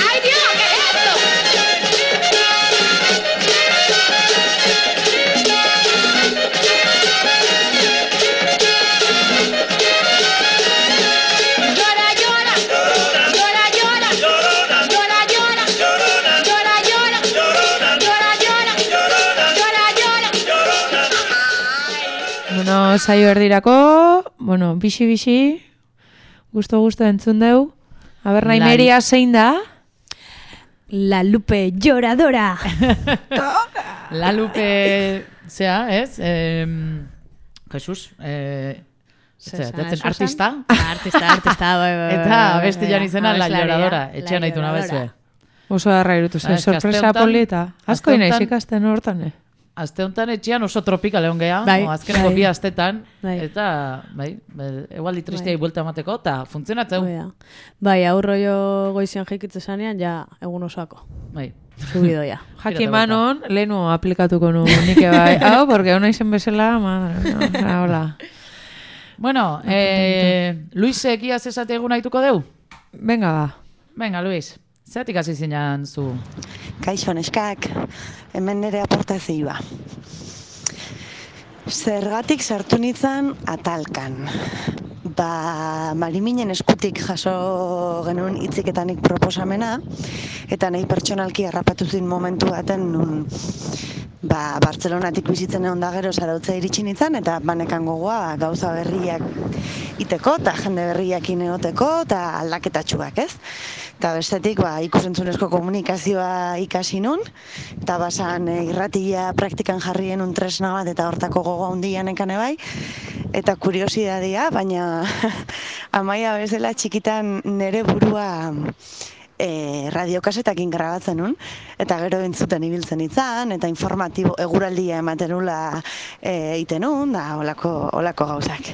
¡Ay, Dios! ¿Qué es esto? Llora, llora. Llora, llora. Llorona, Llora, llora. llorona, Llora, llora. llorona, Llora, llora. llorona, Llora, llora. llorona. Bueno, saio erdirako, bueno, bixi-bixi, gusto-gusto entzun deu. Aber, nahi Lai- meria zein da? La Lupe lloradora. La Lupe, zea, ez? Eh, Jesus, eh, zera, Zesan, tetzen Susan? artista. Artista, artista, bai, bai, bai, Eta bai, abestian bai, izena La abeslaria, Lloradora. La Etxean nahitu Lloradora. nabezue. Oso darra irutu Ah, zen, eske aste sorpresa honetan- polita. Asko aste inaiz honetan- ikasten hortan, eh? Aste honetan etxean oso tropikal egon geha, Bai, o azkeneko bai. bi astetan, Bai. eta, bai, bai, egualdi tristeai Bai. buelta emateko, eta funtzionatzeu. Hoi da. Bai, aurro jo goizian jikitze zanean, ja, egun osako. Bai. Subidoia. Jakin banon, lehenu aplikatuko nu nike bai. Hau, porque hona izen bezala, madre, no, hola. Bueno, eh, Luisek iaz esate egun haituko deu? Venga, ba. Venga, Luis, zeratik hasi zinan zu? Kaixo neskak, hemen nire aportazioa. Zergatik sartu nintzen atalkan. Ba, Mariminen eskutik jaso genuen hitziketanik proposamena, eta nahi pertsonalki harrapatu zin momentu baten nun ba, Bartzelonatik bizitzen egon da gero Zarautza iritsi nintzen, eta banekan gogoa ba, gauza berriak iteko, eta jende berriakin egoteko, eta aldaketatxuak, ez? Eta bestetik, ba, ikusentzunezko komunikazioa ikasi nun, eta basan e, irratia praktikan jarrien un tresna bat, eta hortako gogoa hundian ekane bai, eta kuriosidadia, baina Amaia bezala txikitan nere burua e, radiokasetakin grabatzen nun, eta gero entzuten ibiltzen itzan, eta informatibo eguraldia ematen nula e, iten nun, da olako, olako gauzak.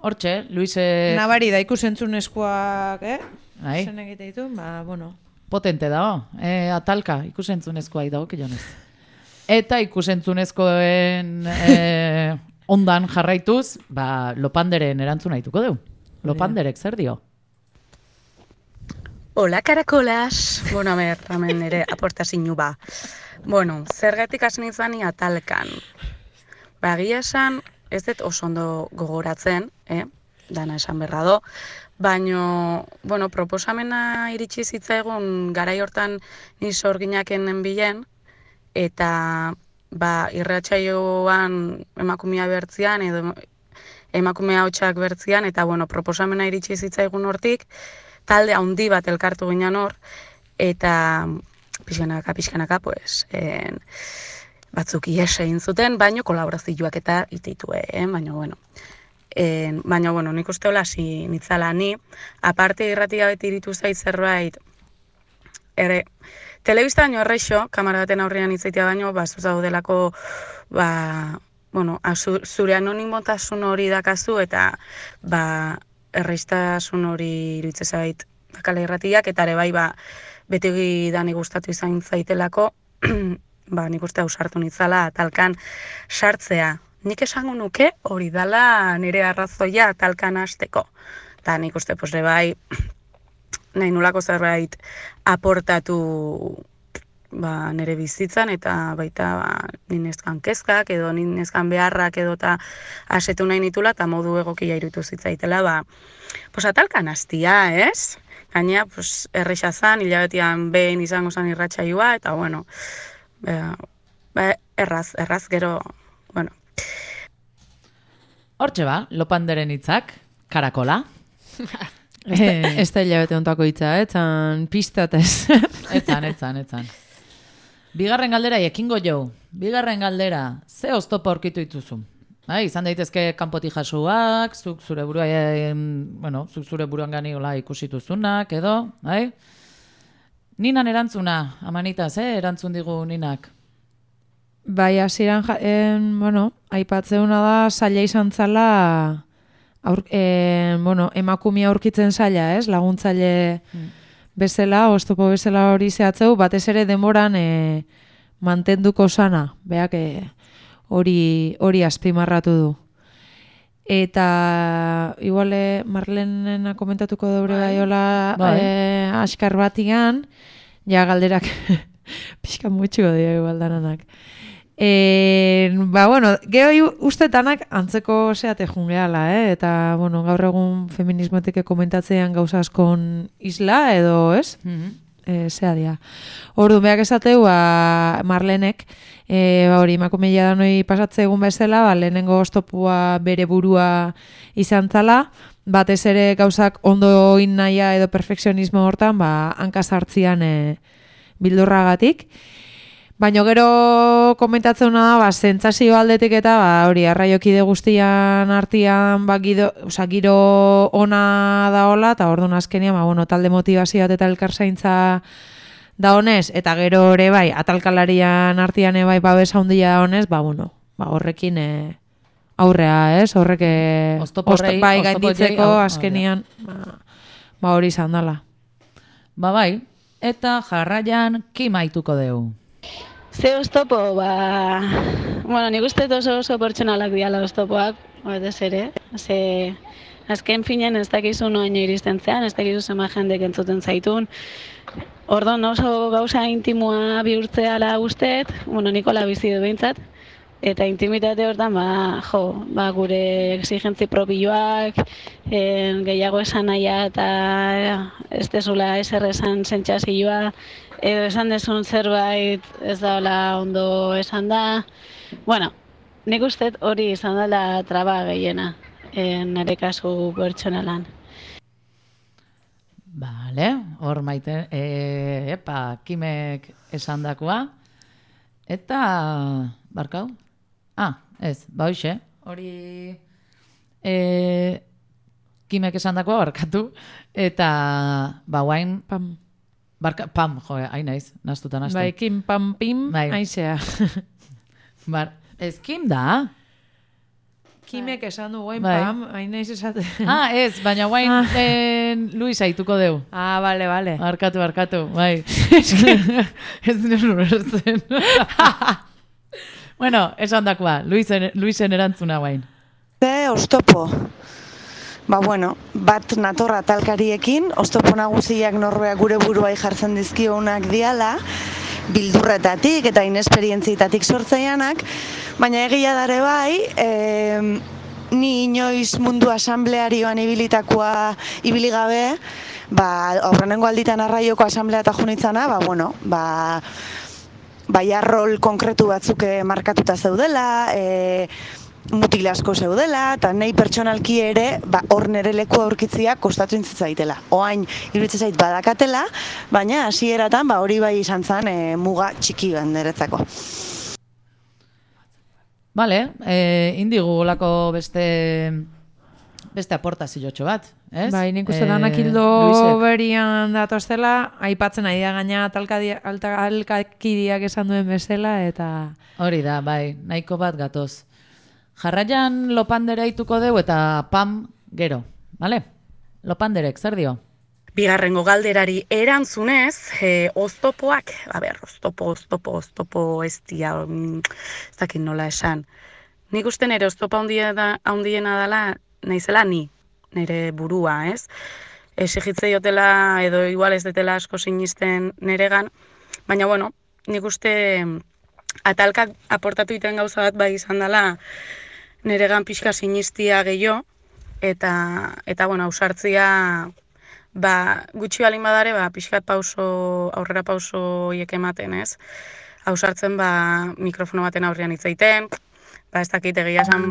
Hortxe, Luis... Eh... Nabari da ikusentzunezkoak, eh? Bai. Zen egite ditu, ba, bueno. Potente dago, eh, atalka, ikusentzunezkoa dago, kilonez. Eta ikusentzunezkoen eh, ondan jarraituz, ba, Lopanderen erantzuna dituko du. Lopanderek zer dio? Hola, karakolas! Bueno, a ber, hemen ere aportazinu ba. Bueno, zergatik hasi nintzani atalkan. Ba, egia esan, ez dut oso ondo gogoratzen, eh? Dana esan berra do, baino, bueno, proposamena iritsi zitzaigun garai hortan ni sorginaken bilen, eta ba, irratsaioan emakumea bertzian, edo emakumea hotxak bertzian, eta bueno, proposamena iritsi zitzaigun hortik, talde handi bat elkartu ginen hor, eta pixkanaka, pixkanaka, pues, en, batzuk ies egin zuten, baino kolaborazioak eta ititue, eh? Baina, bueno, en, baina, bueno, nik uste hola hasi nitzala ni, aparte irratia beti iritu zait zerbait, ere, telebista baino erreixo, kamara baten aurrean itzaitea baino, ba, zuzaudelako, ba, bueno, azu, zure anonimotasun hori dakazu, eta, ba, erreiztasun hori iritze zait dakala irratiak, eta ere bai, ba, beti dani gustatu izan zaitelako, ba, nik uste ausartu nitzala talkan sartzea. Nik esango nuke hori dala nire arrazoia talkan hasteko. Eta nik uste, pues, bai, nahi nulako zerbait aportatu ba, nire bizitzan, eta baita ba, ninezkan kezkak, edo ninezkan beharrak, edo eta asetu nahi nitula, eta modu egokia irutu zitzaitela, ba, pues, atalkan hastia, ez? Gaina, pues, erresa zan, hilabetian behin izango zan irratsaioa, eta bueno, ba, ba, erraz, erraz, gero, bueno. Hortxe ba, Lopanderen hitzak, karakola. Ez da hilabete ontako hitza, etzan pista eta ez. Etzan, etzan, etzan. Bigarren galdera ekingo jo. Bigarren galdera, ze oztopo aurkitu dituzu? Bai, izan daitezke kanpoti jasuak, zuk zure burua, eh, bueno, zuk zure buruan gani hola ikusituzunak, edo, bai? Ninan erantzuna, amanitaz, eh, erantzun digu Ninak. Bai, hasieran, en, bueno, aipatzeuna da, zaila izan zala, aur, en, bueno, emakumea aurkitzen zaila, ez, laguntzaile hmm. bezala, oztopo bezala hori zehatzeu, batez ere demoran e, mantenduko sana, beak hori hori azpimarratu du. Eta iguale Marlenena komentatuko daure bai hola bai. E, askar batian, ja galderak pixka mutxuko dira igual dananak. E, ba, bueno, geho ustetanak antzeko zeate jungeala, eh? Eta, bueno, gaur egun feminismotik komentatzean gauza askon isla, edo, ez? Mm-hmm. E, zea dia. Ordu, behak esateu, ba, Marlenek, e, ba, hori, emakumeia da noi pasatze egun bezala, ba, lehenengo oztopua bere burua izan zala, batez ere gauzak ondo in nahia edo perfekzionismo hortan, ba, hankasartzian e, bildurragatik. Baina gero komentatzen da, ba, sentsazio aldetik eta ba, hori arraiokide guztian artean ba, gido, oza, giro ona da hola, eta orduan azkenean ba, bueno, talde motivazio bat eta elkarzaintza da honez, eta gero ere bai, atalkalarian artean bai babesa handia da honez, ba, bueno, ba, horrekin e, aurrea, ez? Horrek e, Oztoporrei, bai gainditzeko azkenean ba, ba hori izan dela. Ba bai, eta jarraian kimaituko dugu. Ze oztopo, ba... Bueno, nik uste oso oso pertsonalak diala oztopoak, batez ere. Ze, azken finen ez dakizu noaino iristen zean, ez dakizu zema jendek entzuten zaitun. Ordon oso gauza intimua bihurtzeala usteet, bueno, Nikola bizi du behintzat. Eta intimitate hortan, ba, jo, ba, gure exigentzi propioak, en, gehiago esan nahia eta ez dezula eser esan sentsazioa, edo esan dezun zerbait ez daola ondo esan da. Bueno, nik uste hori izan dela traba gehiena, en, nire kasu pertsonalan. Bale, hor maite, e, epa, Kimek esandakoa, eta, barkau? Ah, ez, ba hoxe, hori e, Kimek esandakoa barkatu, eta, ba guain, pam, barka, pam, jo, hain naiz, nastuta nastu. Bai, Kim, pam, pim, bai. aizea. Bar, ez Kim da? Kimek esan du guain, bai. pam, hain naiz esaten. Ah, ez, baina guain ah. en, Luis aituko deu. Ah, bale, bale. Barkatu, barkatu, bai. Ez nire urertzen. Bueno, esan dakoa, Luisen, Luisen erantzuna guain. Ze, oztopo. Ba, bueno, bat natorra talkariekin, oztopo nagusiak norbeak gure buruai jartzen dizkionak diala, bildurretatik eta inesperientzietatik sortzeianak, baina egia dare bai, e, ni inoiz mundu asamblearioan ibilitakoa ibili gabe, ba, aurrenengo alditan arraioko asamblea eta junitzana, ba, bueno, ba, baia rol konkretu batzuk markatuta zeudela, e, mutil asko zeudela, eta nahi pertsonalki ere, ba, hor nere leku aurkitzia kostatu intzitzaitela. Oain, iruditzen zait badakatela, baina hasieratan ba, hori bai izan zen e, muga txiki bat niretzako. Bale, e, indigu olako beste beste aportaziotxo bat, ez? Bai, nik uste danak hildo berian datozela, aipatzen ari da gaina alkakidiak esan duen bezala, eta... Hori da, bai, nahiko bat gatoz. Jarraian Lopandere aituko deu eta pam gero, bale? Lopanderek, zer dio? Bigarrengo galderari erantzunez, e, oztopoak, a ber, oztopo, oztopo, oztopo ez dia, ez dakit nola esan. Nik uste nire oztopa handiena dela, naizela ni, nire burua, ez? Exigitze jotela edo igual ez detela asko sinisten niregan, baina bueno, nik uste atalkak aportatu iten gauza bat bai izan dela niregan pixka sinistia gehiago, eta, eta bueno, ausartzia ba, gutxi balin badare, ba, pixka pauso, aurrera pauso hiek ematen, ez? Ausartzen ba, mikrofono baten aurrean hitz egiten, ba, ez dakit egia esan,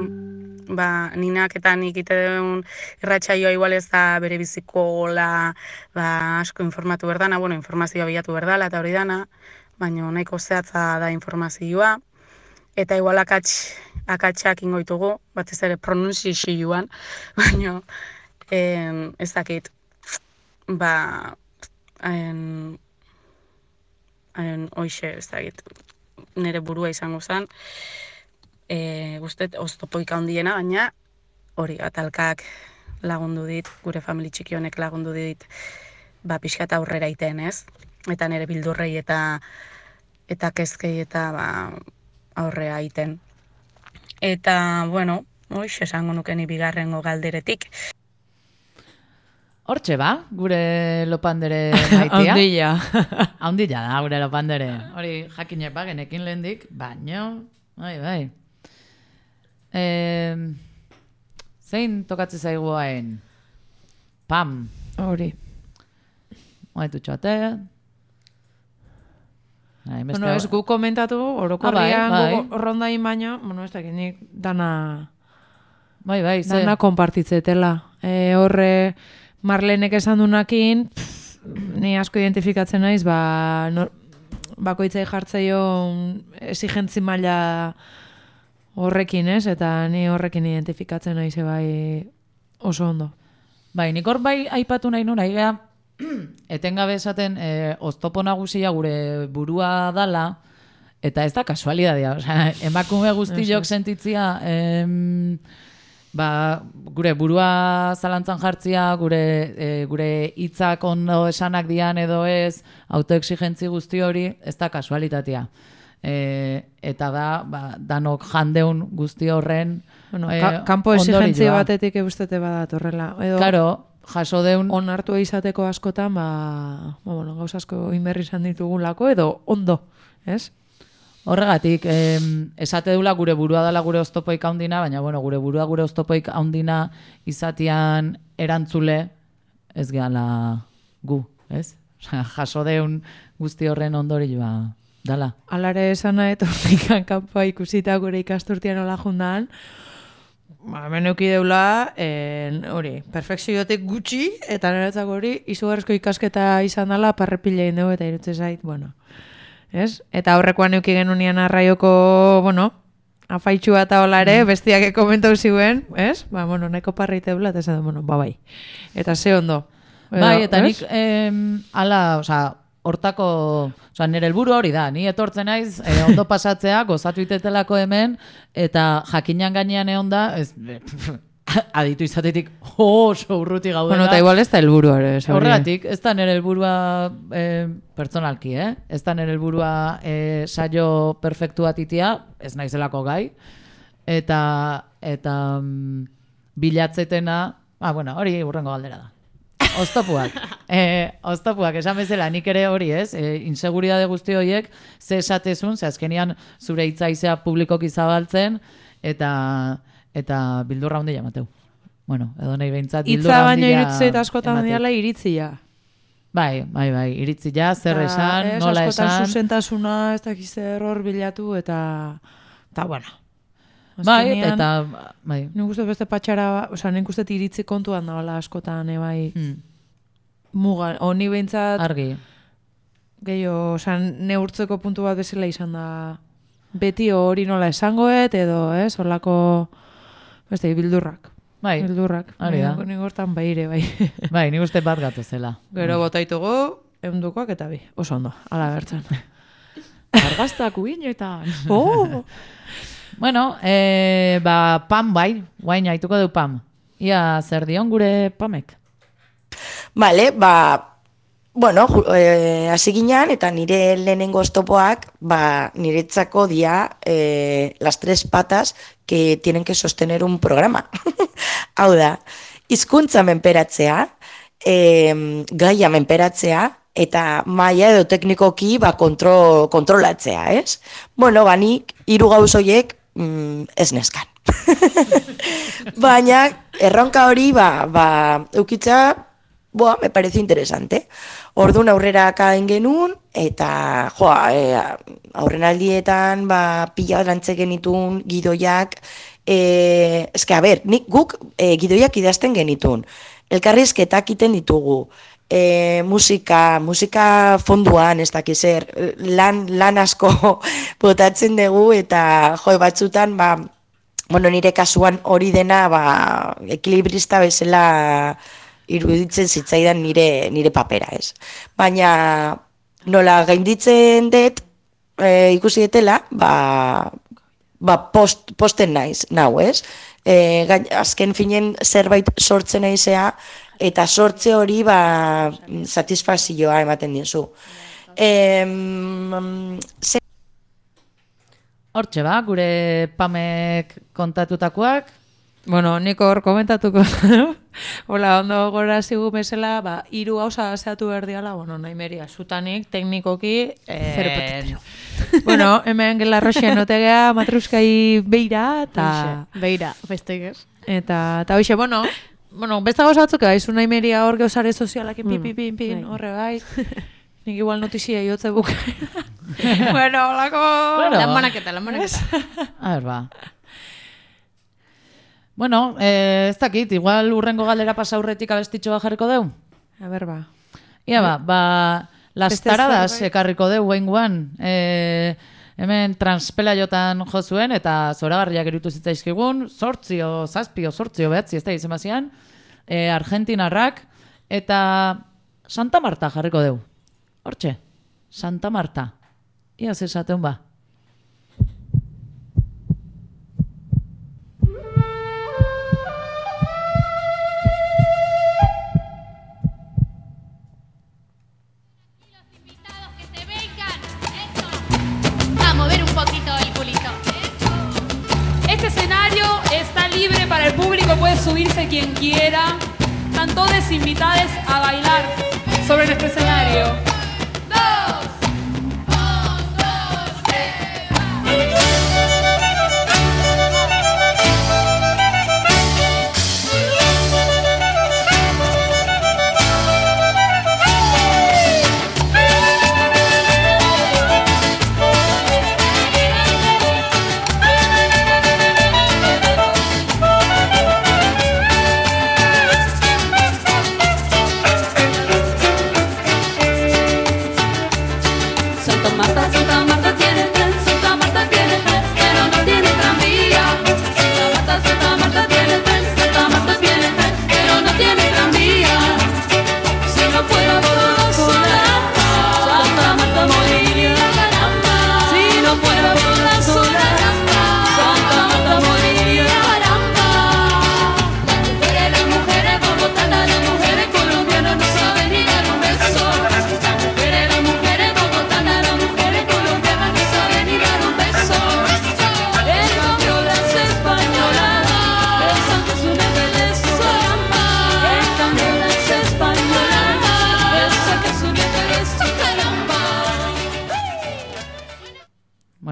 ba, ninak eta nik iteun irratsaioa igual ez da bere biziko gola, ba, asko informatu berdana, bueno, informazioa bilatu berdala eta hori dana, baina nahiko zehatza da informazioa, eta igual akats, akatsak ingoitugu, batez ere pronunciazioan, baina en, ez dakit, ba, en, en, oixe, ez dakit, nire burua izango zen, E, guztet, oztopoik handiena, baina hori atalkak lagundu dit, gure famili txiki honek lagundu dit, ba, pixkat aurrera iten, ez? Eta nire bildurrei eta eta kezkei eta ba, aurrera iten. Eta, bueno, hoiz, esango nukeni bigarrengo galderetik. Hortxe ba, gure Lopandere maitia. Handilla. Handilla da, gure Lopandere. Hori jakinek ba, genekin lehendik, baino, bai, bai. Eh, zein tokatzen zaigu hain? Pam. Hori. Oaitu txoate. Bueno, ez gu komentatu, orokorrian ah, bai, bai. Rondain baino, bueno, ez dakit nik dana... Bai, bai, ze. Dana konpartitzetela. E, horre, Marlenek esan dunakin, pff, ni asko identifikatzen naiz, ba, no, bakoitzai jartzaio exigentzi maila horrekin, ez? Eta ni horrekin identifikatzen naiz bai oso ondo. Bai, nik hor bai aipatu nahi nuna, igea, etengabe esaten e, oztopo nagusia gure burua dala, eta ez da kasualidadia. Osea, emakume guztiok sentitzia, em, ba, gure burua zalantzan jartzia, gure e, gure hitzak ondo esanak dian edo ez, autoexigentzi guzti hori, ez da kasualitatea. E, eta da, ba, danok jandeun guzti horren bueno, ka, kanpo exigentzia batetik eustete badat horrela. Edo, claro, jaso deun... Onartu izateko askotan, ba, ba bueno, gauz asko inberri izan ditugulako, edo ondo, ez? Horregatik, em, esate dula gure burua dela gure oztopoik haundina, baina bueno, gure burua gure oztopoik haundina izatian erantzule ez gehala gu, ez? Osea, jaso deun guzti horren ondorioa dala. Alare esan nahi, tornikan kanpoa ikusita gure ikasturtian hola jundan, ba, hemen euki deula, en, hori, perfekziotik gutxi, eta niretzako hori, izugarrizko ikasketa izan dela, parrepila egin dugu, eta irutze zait, bueno, ez? Eta horrekoan euki genunian arraioko, bueno, afaitxua eta hola ere, bestiak komentau ziuen, ez? Ba, bueno, nahiko parreite deula, eta esan, bueno, ba, bai. Eta ze ondo. Bai, eta nik, em, ala, oza, hortako, oza, nire helburu hori da, ni etortzen naiz, eh, ondo pasatzea, gozatu itetelako hemen, eta jakinan gainean egon da, ez, aditu izatetik oso urruti gaudela. Bueno, eta igual ez da helburu ere. Horregatik, ez da nire helburua eh, pertsonalki, eh? Ez da nire helburua eh, saio perfektua titia, ez naizelako gai, eta, eta mm, bilatzetena, ah, bueno, hori urrengo galdera da. Oztopuak. Eh, oztopuak, esan bezala, nik ere hori ez, eh, inseguridade guzti horiek, ze esatezun, ze azkenian zure hitzaizea publikoki zabaltzen, eta eta bildurra handia emateu. Bueno, edo nahi behintzat bildurra Itza handia baina iritzit askotan diala iritzia. Bai, bai, bai, iritzia, zer esan, ez, nola askotan esan. zuzentasuna, ez dakiz zer hor bilatu, eta, eta bueno. Bai, Azkenean, eta, bai. Nik uste beste patxara, oza, nik uste iritzi kontuan dagoela askotan, e, bai, hmm. muga, honi behintzat, argi. Gehiago, oza, neurtzeko puntu bat bezala izan da, beti hori nola esangoet, edo, ez, holako, beste, bildurrak. Bai, bildurrak. hori da. Nik hortan baire, bai. Bai, nik uste bat gatozela. Gero botaitugu, eundukoak eta bi, oso ondo, ala bertzen. Argaztak uinetan. Oh! Bueno, eh, ba, Pam bai, guain haituko du Pam. Ia, zer dion gure Pamek? Vale, ba, bueno, eh, hasi ginean, eta nire lehenengo oztopoak, ba, niretzako dia eh, las tres patas que tienen que sostener un programa. Hau da, hizkuntza menperatzea, eh, gaia menperatzea, eta maila edo teknikoki ba, kontro, kontrolatzea, ez? Bueno, ba, nik hiru gauz horiek mm, ez neskan. Baina, erronka hori, ba, ba, eukitza, boa, me parece interesante. Orduan aurrera kaen genuen, eta, joa, e, aurren aldietan, ba, pila lantze genitun, gidoiak, e, eske, a ber, nik guk e, gidoiak idazten genitun. Elkarrizketak iten ditugu. E, musika, musika fonduan, ez dakiz zer, lan, lan asko botatzen dugu, eta jo, batzutan, ba, bueno, nire kasuan hori dena, ba, ekilibrista bezala iruditzen zitzaidan nire, nire papera, ez. Baina, nola gainditzen dut, e, ikusi detela, ba, ba post, posten naiz, nau, ez. E, gain, azken finen zerbait sortzen naizea, eta sortze hori ba, satisfazioa ematen dizu. Em, ze... Hortxe ba, gure Pamek kontatutakoak. Bueno, nik hor komentatuko. Hola, ondo gora zigu bezala, ba, hiru gauza zeatu behar diala, bueno, nahi meria, zutanik, teknikoki, eh, bueno, hemen gela roxean otegea, matruskai beira, eta... Beira, bestek ez. Eta, eta hoxe, bueno, bueno, beste gauza batzuk, haizu nahi meria hor geosare sozialak, Mm, pin, pin, pin, bai. horre bai. Nik igual notizia iotze buka. Bueno, holako... Claro. Lan banaketa, lan banaketa. A ver, ba. Bueno, eh, ez dakit, igual urrengo galdera pasa aurretik abestitxo bat jarriko deu? A ber, ba. Ia ba, ba, las Beste taradas zerbait. ekarriko deu guainguan. Eh, hemen transpela jotan jo zuen, eta zoragarriak erutu zitzaizkigun, sortzio, zazpio, sortzio behatzi, ez da izan bazian, eh, Argentinarrak, eta Santa Marta jarriko deu. Hortxe, Santa Marta. Ia zesaten ba. A mover un poquito el culito. Este escenario está libre para el público, puede subirse quien quiera. Están todos invitados a bailar sobre nuestro escenario. Dos, dos, dos, tres.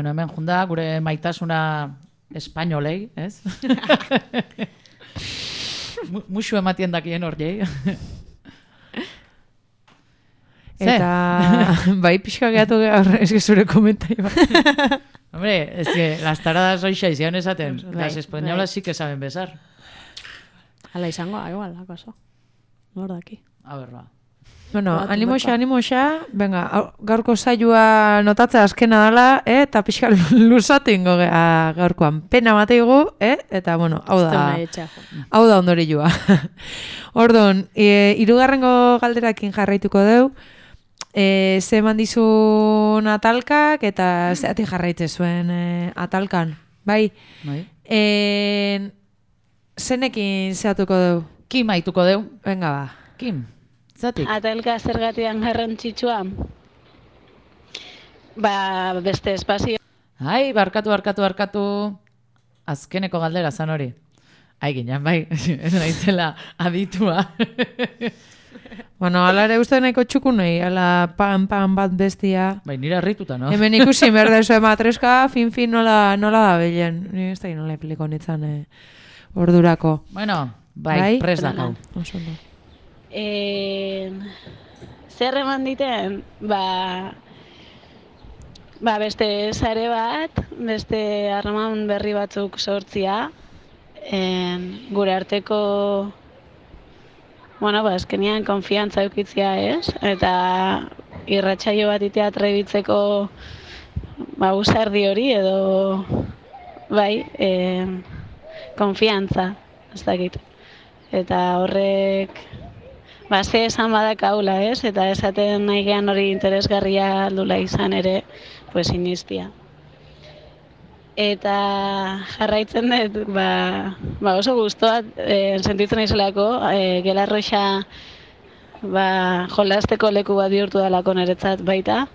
bueno, hemen junda, gure maitasuna espainolei, ez? Muxu ematien dakien hor jei. Eta, bai, pixka gehatu gaur, ez que zure komentai bat. Hombre, es que las taradas hoxe izan esaten, Bai, las españolas bai. sí que saben besar. Ala izango, igual, akaso. Nor daki. A ver, ba. Bueno, Bat, animoxa, bata. animoxa, venga, hau- gaurko saioa notatzea azkena dela, eh, eta pixka luzatu ingo gea gaurkoan. Pena mateigu, eh, eta bueno, hau Ez da, nahi etxea, jo. hau da ondorioa. Ordon, e, irugarrengo galderakin jarraituko deu, e, ze eman dizun atalkak, eta zeatik jarraitze zuen e, atalkan, bai? Bai. E, zenekin zeatuko deu? Kim aituko deu. Venga, ba. Kim, zatik. Atalka zergatian garrantzitsua. Ba, beste espazio. Ai, barkatu, barkatu, barkatu. Azkeneko galdera zan hori. Ai, ginen, bai, ez naizela aditua. Bueno, ala ere uste nahiko txukunei, ala pan, pan bat bestia. Bai, nire harrituta, no? Hemen ikusi berda zuen matreska, fin, fin nola, nola da belen. Ni ez da nola ipliko nitzan eh, ordurako. Bueno, bai, prest dakau. Oso ondo. E, zer eman diten? Ba, ba, beste sare bat, beste harreman berri batzuk sortzia, en, gure arteko, bueno, ba, azkenean konfiantza eukitzia, ez? Eta irratsaio bat itea trebitzeko, ba, usardi hori edo, bai, en, konfiantza, ez dakit. Eta horrek, ba, ze esan badak haula, ez? Eta esaten nahi gehan hori interesgarria aldula izan ere, pues inistia. Eta jarraitzen dut, ba, ba oso guztua e, sentitzen naizelako, e, Gelarroxa ba, jolasteko leku bat bihurtu dalako niretzat baita,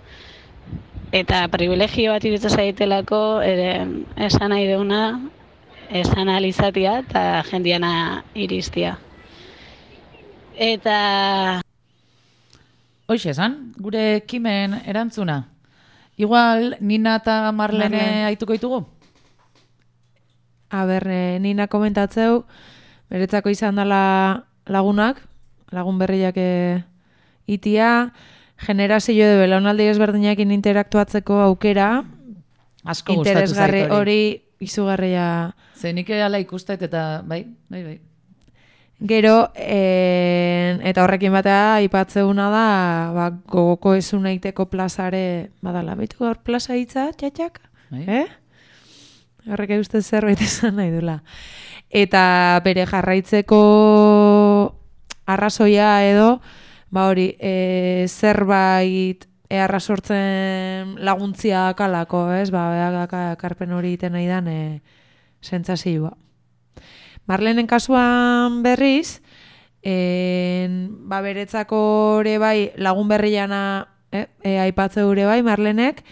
eta privilegio bat iritza zaitelako ere esan nahi deuna, esan alizatia eta jendiana iristia. Eta... Hoxe esan, gure Kimen erantzuna. Igual, Nina eta Marlene Marlene. aituko ditugu? A ber, eh, Nina komentatzeu, beretzako izan dela lagunak, lagun berriak eh, itia, generazio de belaunaldi ezberdinekin interaktuatzeko aukera, Asko gustatu zait interesgarri hori. hori izugarria. Ze nik ala ikustet eta bai, bai, bai. Gero, en, eta horrekin batea aipatzeuna da, ba, gogoko ezun eiteko plazare, badala, baitu gaur plaza hitza, txatxak? Bai. Eh? Horrek uste zerbait esan nahi dula. Eta bere jarraitzeko arrazoia edo, ba hori, e, zerbait eharra sortzen laguntzia kalako, ez? Ba, beha karpen hori iten nahi dan, e, sentsazioa. Marlenen kasuan berriz, en, ba beretzako ere bai lagun berriana eh, e, aipatze ere bai Marlenek,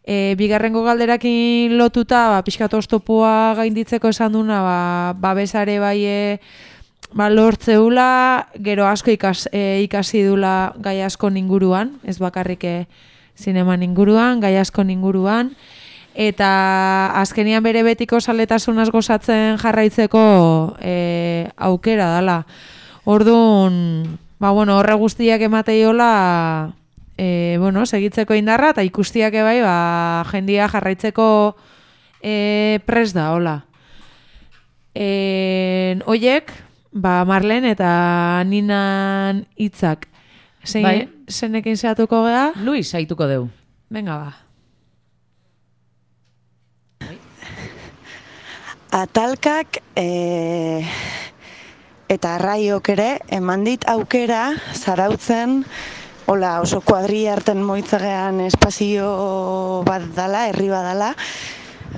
e, bigarrengo galderakin lotuta, ba, pixkat oztopoa gainditzeko esan duna, ba, babesare bai e, ba, lortzeula, gero asko ikas, e, ikasi dula gai asko inguruan, ez bakarrik e, zineman inguruan, gai asko inguruan, eta azkenian bere betiko saletasunaz gozatzen jarraitzeko e, aukera dala. Orduan, ba, bueno, horre guztiak emateiola e, bueno, segitzeko indarra, eta ikustiak bai, ba, jendia jarraitzeko e, pres da, hola. E, oiek, ba, Marlen eta Ninan hitzak. Zein, Bai. zenekin zehatuko gea? Luis aituko deu. Venga, ba. Atalkak e, eta arraiok ere eman dit aukera zarautzen hola oso kuadri harten moitzagean espazio bat dala, herri bat dala,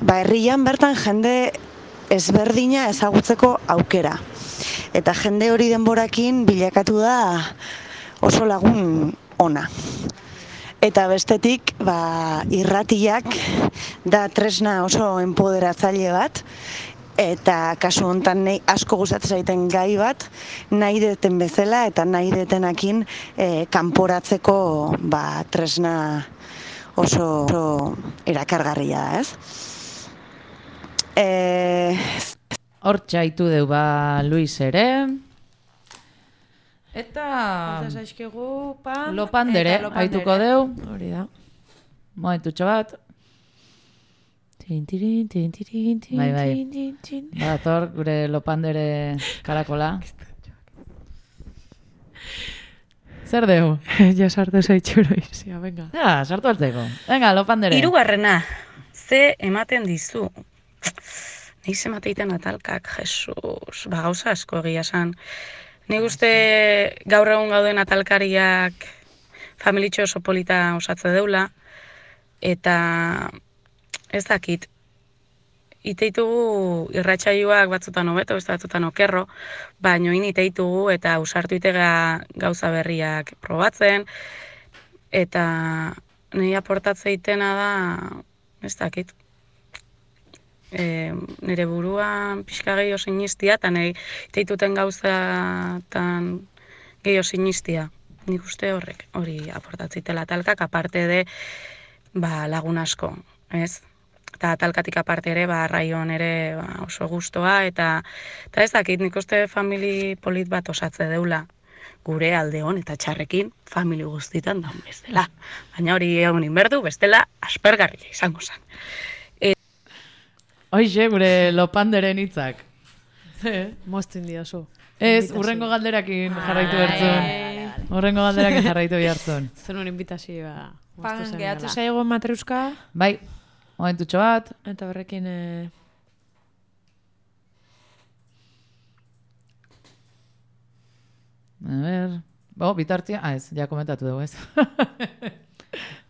ba herrian bertan jende ezberdina ezagutzeko aukera. Eta jende hori denborakin bilakatu da oso lagun ona. Eta bestetik, ba, irratiak da tresna oso enpoderatzaile bat, eta kasu hontan nahi asko gustatzen zaiten gai bat, nahi deten bezala eta nahi detenakin e, kanporatzeko ba, tresna oso, oso erakargarria da, ez? E... Hortxe haitu deu ba Luis ere. Eta... Eta zaizkigu, pan... Lopandere, eta lopandere. haituko deu. Hori da. Momentutxo bat. Tin, tirin, tin, tirin, tin, Bai, bai. tin, tin, tin. Badator, gure Lopandere karakola. Zer deu? Ja sartu zaitxuro izia, venga. Ja, sartu altzeko. Venga, Lopandere. Hirugarrena, ze ematen dizu. Neiz emateiten atalkak, Jesus, ba gauza asko egia esan. Nik uste gaur egun gauden atalkariak familitxo oso polita osatze deula, eta ez dakit, iteitugu irratsaioak batzutan hobeto, beste batzutan okerro, baino in iteitugu eta ausartu itega gauza berriak probatzen, eta nahi aportatzeitena da, ez dakit, e, nire buruan pixka gehiago sinistia, eta nahi iteituten gauzatan gehiago sinistia. Nik uste horrek, hori aportatzitela talkak, aparte de ba, lagun asko, ez? Eta talkatik aparte ere, ba, raion ere ba, oso gustoa, eta, eta ez dakit, nik uste famili polit bat osatze deula. Gure alde hon eta txarrekin famili guztitan daun bestela. Baina hori egun inberdu, bestela aspergarria izango zen. E... Hoixe, gure Lopanderen hitzak. Moztu indiozu. Ez, urrengo galderakin jarraitu bertzun. Urrengo galderakin jarraitu behartzun. Zer nuen invitazioa. Pan, gehatze zaigo matreuska. Bai, momentutxo bat. Eta horrekin... Eh... A ver... Bo, bitartia... Ah, ez, ja komentatu dugu, ez.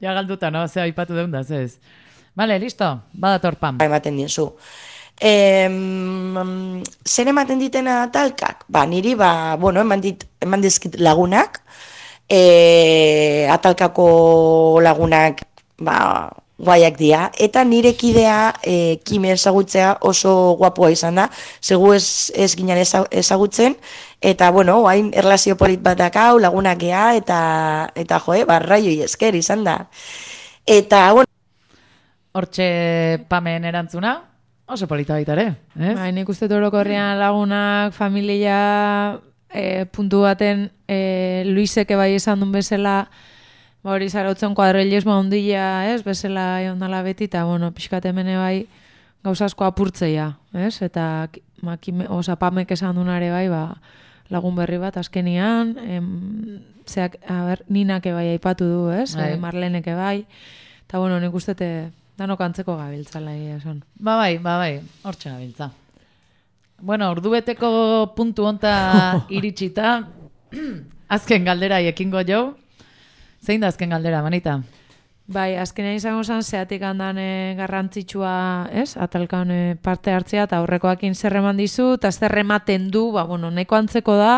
Ja galduta, no? Zea aipatu deun da, ez. Vale, listo. Badator pam. Ematen diozu. E, zer ematen ditena talkak? Ba, niri, ba, bueno, eman, dit, eman dizkit lagunak, e, atalkako lagunak, ba, guaiak dira, eta nire kidea e, Kime ezagutzea oso guapua izan da, segu ez, ez ginen ezagutzen, eta, bueno, hain erlazio polit bat dakau, lagunak gea, eta, eta joe, barraioi esker izan da. Eta, bueno... Hortxe Pamen erantzuna, oso polita baita ere, ez? Bai, nik uste orokorrean lagunak, familia, e, puntu baten, e, Luiseke bai esan duen bezala, ba hori zarautzen kuadrilismo ondila, ez, bezala ondala beti, eta, bueno, pixkat hemene bai gauzasko apurtzeia, ez? Eta, makime, oza, Pamek esan dunare bai, ba, lagun berri bat azkenian, em, zeak, a ber, Ninake bai aipatu du, ez? Bai. E, Marleneke bai, eta, bueno, nik uste danok antzeko gabiltzala egia esan. Ba bai, ba bai, hortxe gabiltza. Bueno, ordubeteko puntu honta iritsita, azken galdera ekingo jo. Zein da azken galdera, Manita? Bai, azkenean izango zen, zeatik handan e, garrantzitsua, ez? Atalkan e, parte hartzea, eta aurrekoakin zer eman dizu, eta zer ematen du, ba, bueno, neko antzeko da,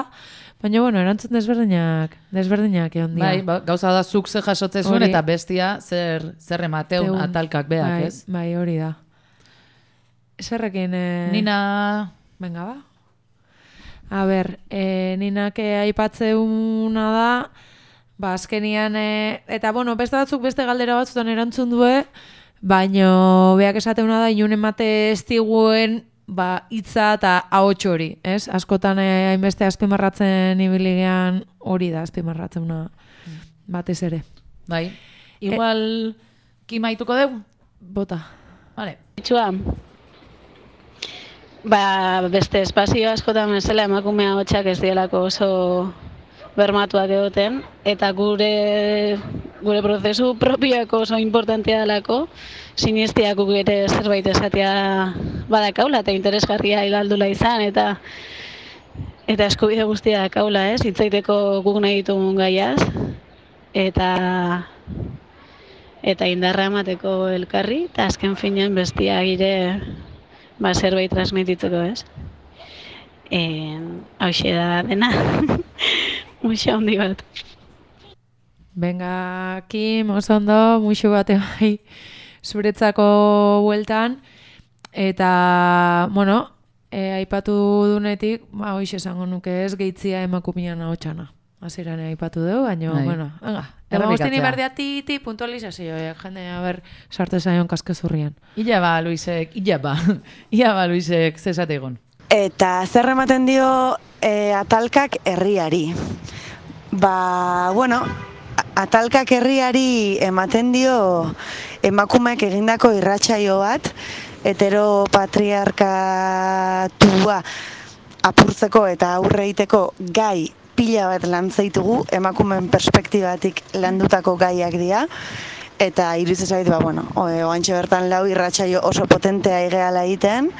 baina, bueno, erantzun desberdinak, desberdinak egon dira. Bai, ba, gauza da zuk ze jasotze zuen, eta bestia zer, zer emateun Teun. atalkak beak, bai, ez? Bai, hori da. Zerrekin... E... Nina... Venga, ba. A ber, e, Ninak aipatzeuna da, ba, azkenian, e, eta, bueno, beste batzuk beste galdera batzutan erantzun due, baino, beak esateuna da, inun emate estiguen, ba, hitza eta ahots hori, ez? Askotan eh, hainbeste azpimarratzen ibiligean hori da azpimarratzeuna batez ere. Bai. Igual e... kimaituko dugu? Bota. Vale. Itxua, ba, beste espazio askotan bezala emakumea hotxak ez dielako oso bermatuak egoten, eta gure gure prozesu propioako oso importantea delako, sinistiak guk ere zerbait esatea badakaula, eta interesgarria hildaldula izan, eta eta eskubide guztia dakaula, ez? Hitzaiteko guk nahi ditugun gaiaz, eta eta indarra emateko elkarri, eta azken finean bestia gire ba, zerbait transmititzeko, ez? Hauxe da dena. Muxo handi bat. Venga, Kim, oso ondo, muxo bate bai zuretzako bueltan. Eta, bueno, e, aipatu dunetik, ba, hoxe esango nuke ez, gehitzia emakumian ahotxana. hasieran aipatu dugu, baina, Bai. bueno, venga. Errepikatzea. Demostini berdea ti, ti, puntualizazioa, jende, a ber, sarte zaion kaskezurrian. Ila ba, Luisek, ila ba, ila ba, Luisek, zesate egon. Eta zer ematen dio e, atalkak herriari. Ba, bueno, atalkak herriari ematen dio emakumeek egindako irratsaio bat, heteropatriarkatua apurtzeko eta aurre egiteko gai pila bat lantzeitugu, emakumeen perspektibatik landutako gaiak dira, eta iruditzen zait, ba, bueno, oantxe bertan lau irratsaio oso potentea igeala egiten,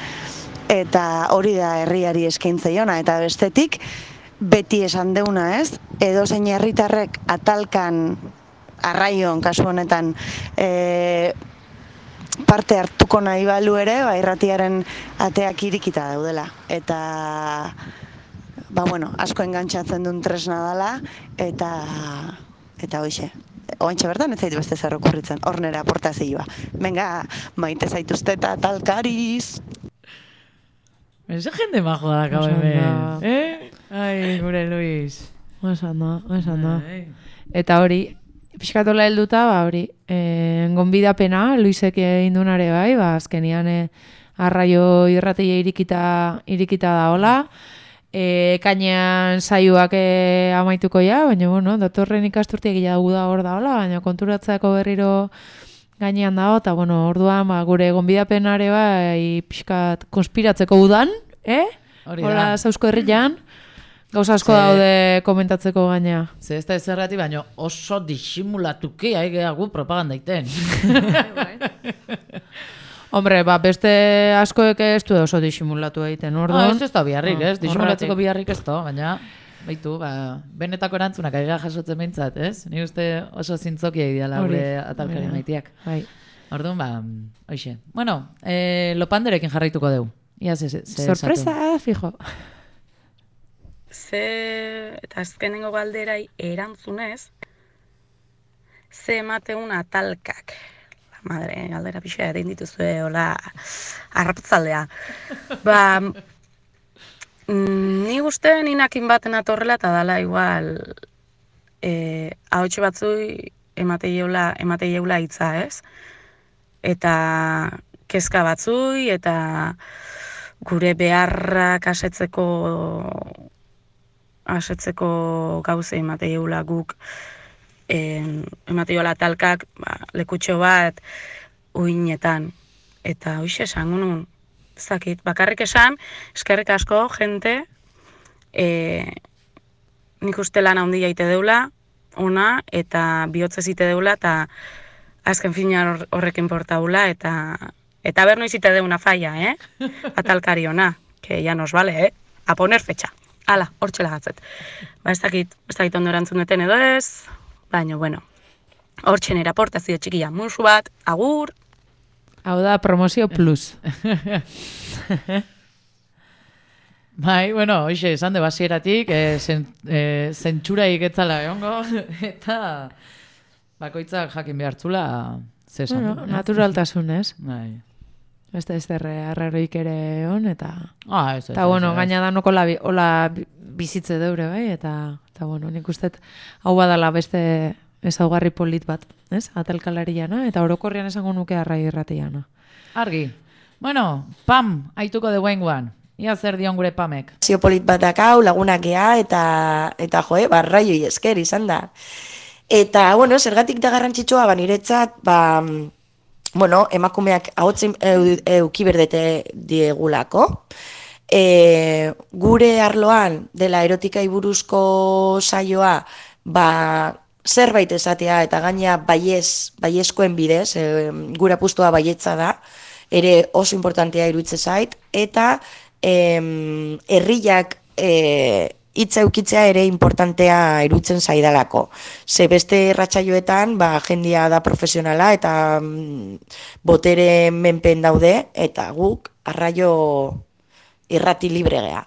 eta hori da herriari eskaintzaiona, eta bestetik, beti esan deuna ez, edo zein herritarrek atalkan, arraion, kasu honetan, e, parte hartuko nahi balu ere, ba, irratiaren ateak irikita daudela. Eta, ba, bueno, asko engantxatzen duen tresna dela, eta, eta hoxe. Oantxe bertan, ez zaitu beste zer okurritzen, hor nera aportazioa. Venga, maite zaituzte eta talkariz. Ese jende majo da, kau hemen. Eh? Ai, gure Luis. Oesan da, oesan da. Eta hori, pixkatola helduta, ba, hori, e, gonbidapena, Luisek egin dunare bai, ba, azkenian e, arraio irrateia irikita, irikita da hola, e, kainean saioak e, amaituko ja, baina, bueno, datorren ikasturtiek gila dugu da hor da hola, baina konturatzeako berriro gainean dago, eta, bueno, orduan, ba, gure gonbidapenare bai, pixkat konspiratzeko udan, eh? Hori da. Hola, zauzko herrian, gauza asko daude komentatzeko gaina. Ze ez da ezerrati, baina oso disimulatuki aigeagu propaganda iten. Hombre, ba, beste askoek ez du oso disimulatu egiten, orduan. Ah, ez ez da biharrik, Ah, ez? Disimulatzeko horregatik. biharrik ez da, baina baitu, ba, benetako erantzunak aigea jasotzen behintzat, ez? Ni uste oso zintzokia ideala Hori, gure atalkari hori da. maitiak. Bai. Orduan, ba, hoxe. Bueno, eh, lopanderekin jarraituko dugu. Ia ze, ze, ze Sorpresa, esatu. fijo. Ze, eta azkenengo galderai erantzunez, ze emateun atalkak. La madre, galdera pixa egin dituzue, hola, arrapatzaldea. Ba, mm, ni uste ninakin baten atorrela eta dala igual, e, ahotxe batzui emate jeula, emate jeula hitza, ez? Eta kezka batzui, eta gure beharrak asetzeko asetzeko gauze emateiola guk en, emateiola talkak ba, lekutxo bat uinetan. Eta hoxe esango nun, zakit, bakarrik esan, eskerrik asko, jente, e, nik uste lan handia ite deula, ona, eta bihotzez ite deula, eta azken fina horrekin portaula, eta eta ber noiz ite deuna falla, eh? Atalkari ona, que ya nos vale, eh? A poner fecha. Hala, hortxe lagatzet. Ba, ez dakit, ez dakit ondo erantzun duten edo ez, baina, bueno, hortxe nera aportazio txikia, musu bat, agur. Hau da, promozio plus. Bai, bueno, hoxe, esan de basieratik, e, zen, e, zentsuraik etzala egongo, eta bakoitzak jakin behartzula, ze esan Bueno, du. naturaltasunez. Bai. Ez da ez derre arraroik ere on, eta... Ah, ez, ez, Eta, bueno, ez, ez. gaina danoko la, hola bizitze deure, bai, eta, eta bueno, nik uste hau badala beste ezaugarri polit bat, ez? Atalkalariana, eta orokorrian esango nuke arrai irratiana. Argi. Bueno, Pam, aituko de guenguan. Ia zer dion gure Pamek. Zio polit bat dakau, lagunak gea, eta, eta joe, barraioi esker izan da. Eta, bueno, zergatik da garrantzitsua, ba, niretzat, ba, bueno, emakumeak ahotzen euki berdete diegulako. E, gure arloan, dela erotikai buruzko saioa, ba, zerbait esatea, eta gaina baiez, baiezkoen bidez, e, gure apustua baietza da, ere oso importantea iruditze zait, eta em, herriak e, hitza eukitzea ere importantea iruditzen zaidalako. Ze beste irratsaioetan, ba, jendia da profesionala eta mm, botere menpen daude, eta guk arraio irrati libre gea.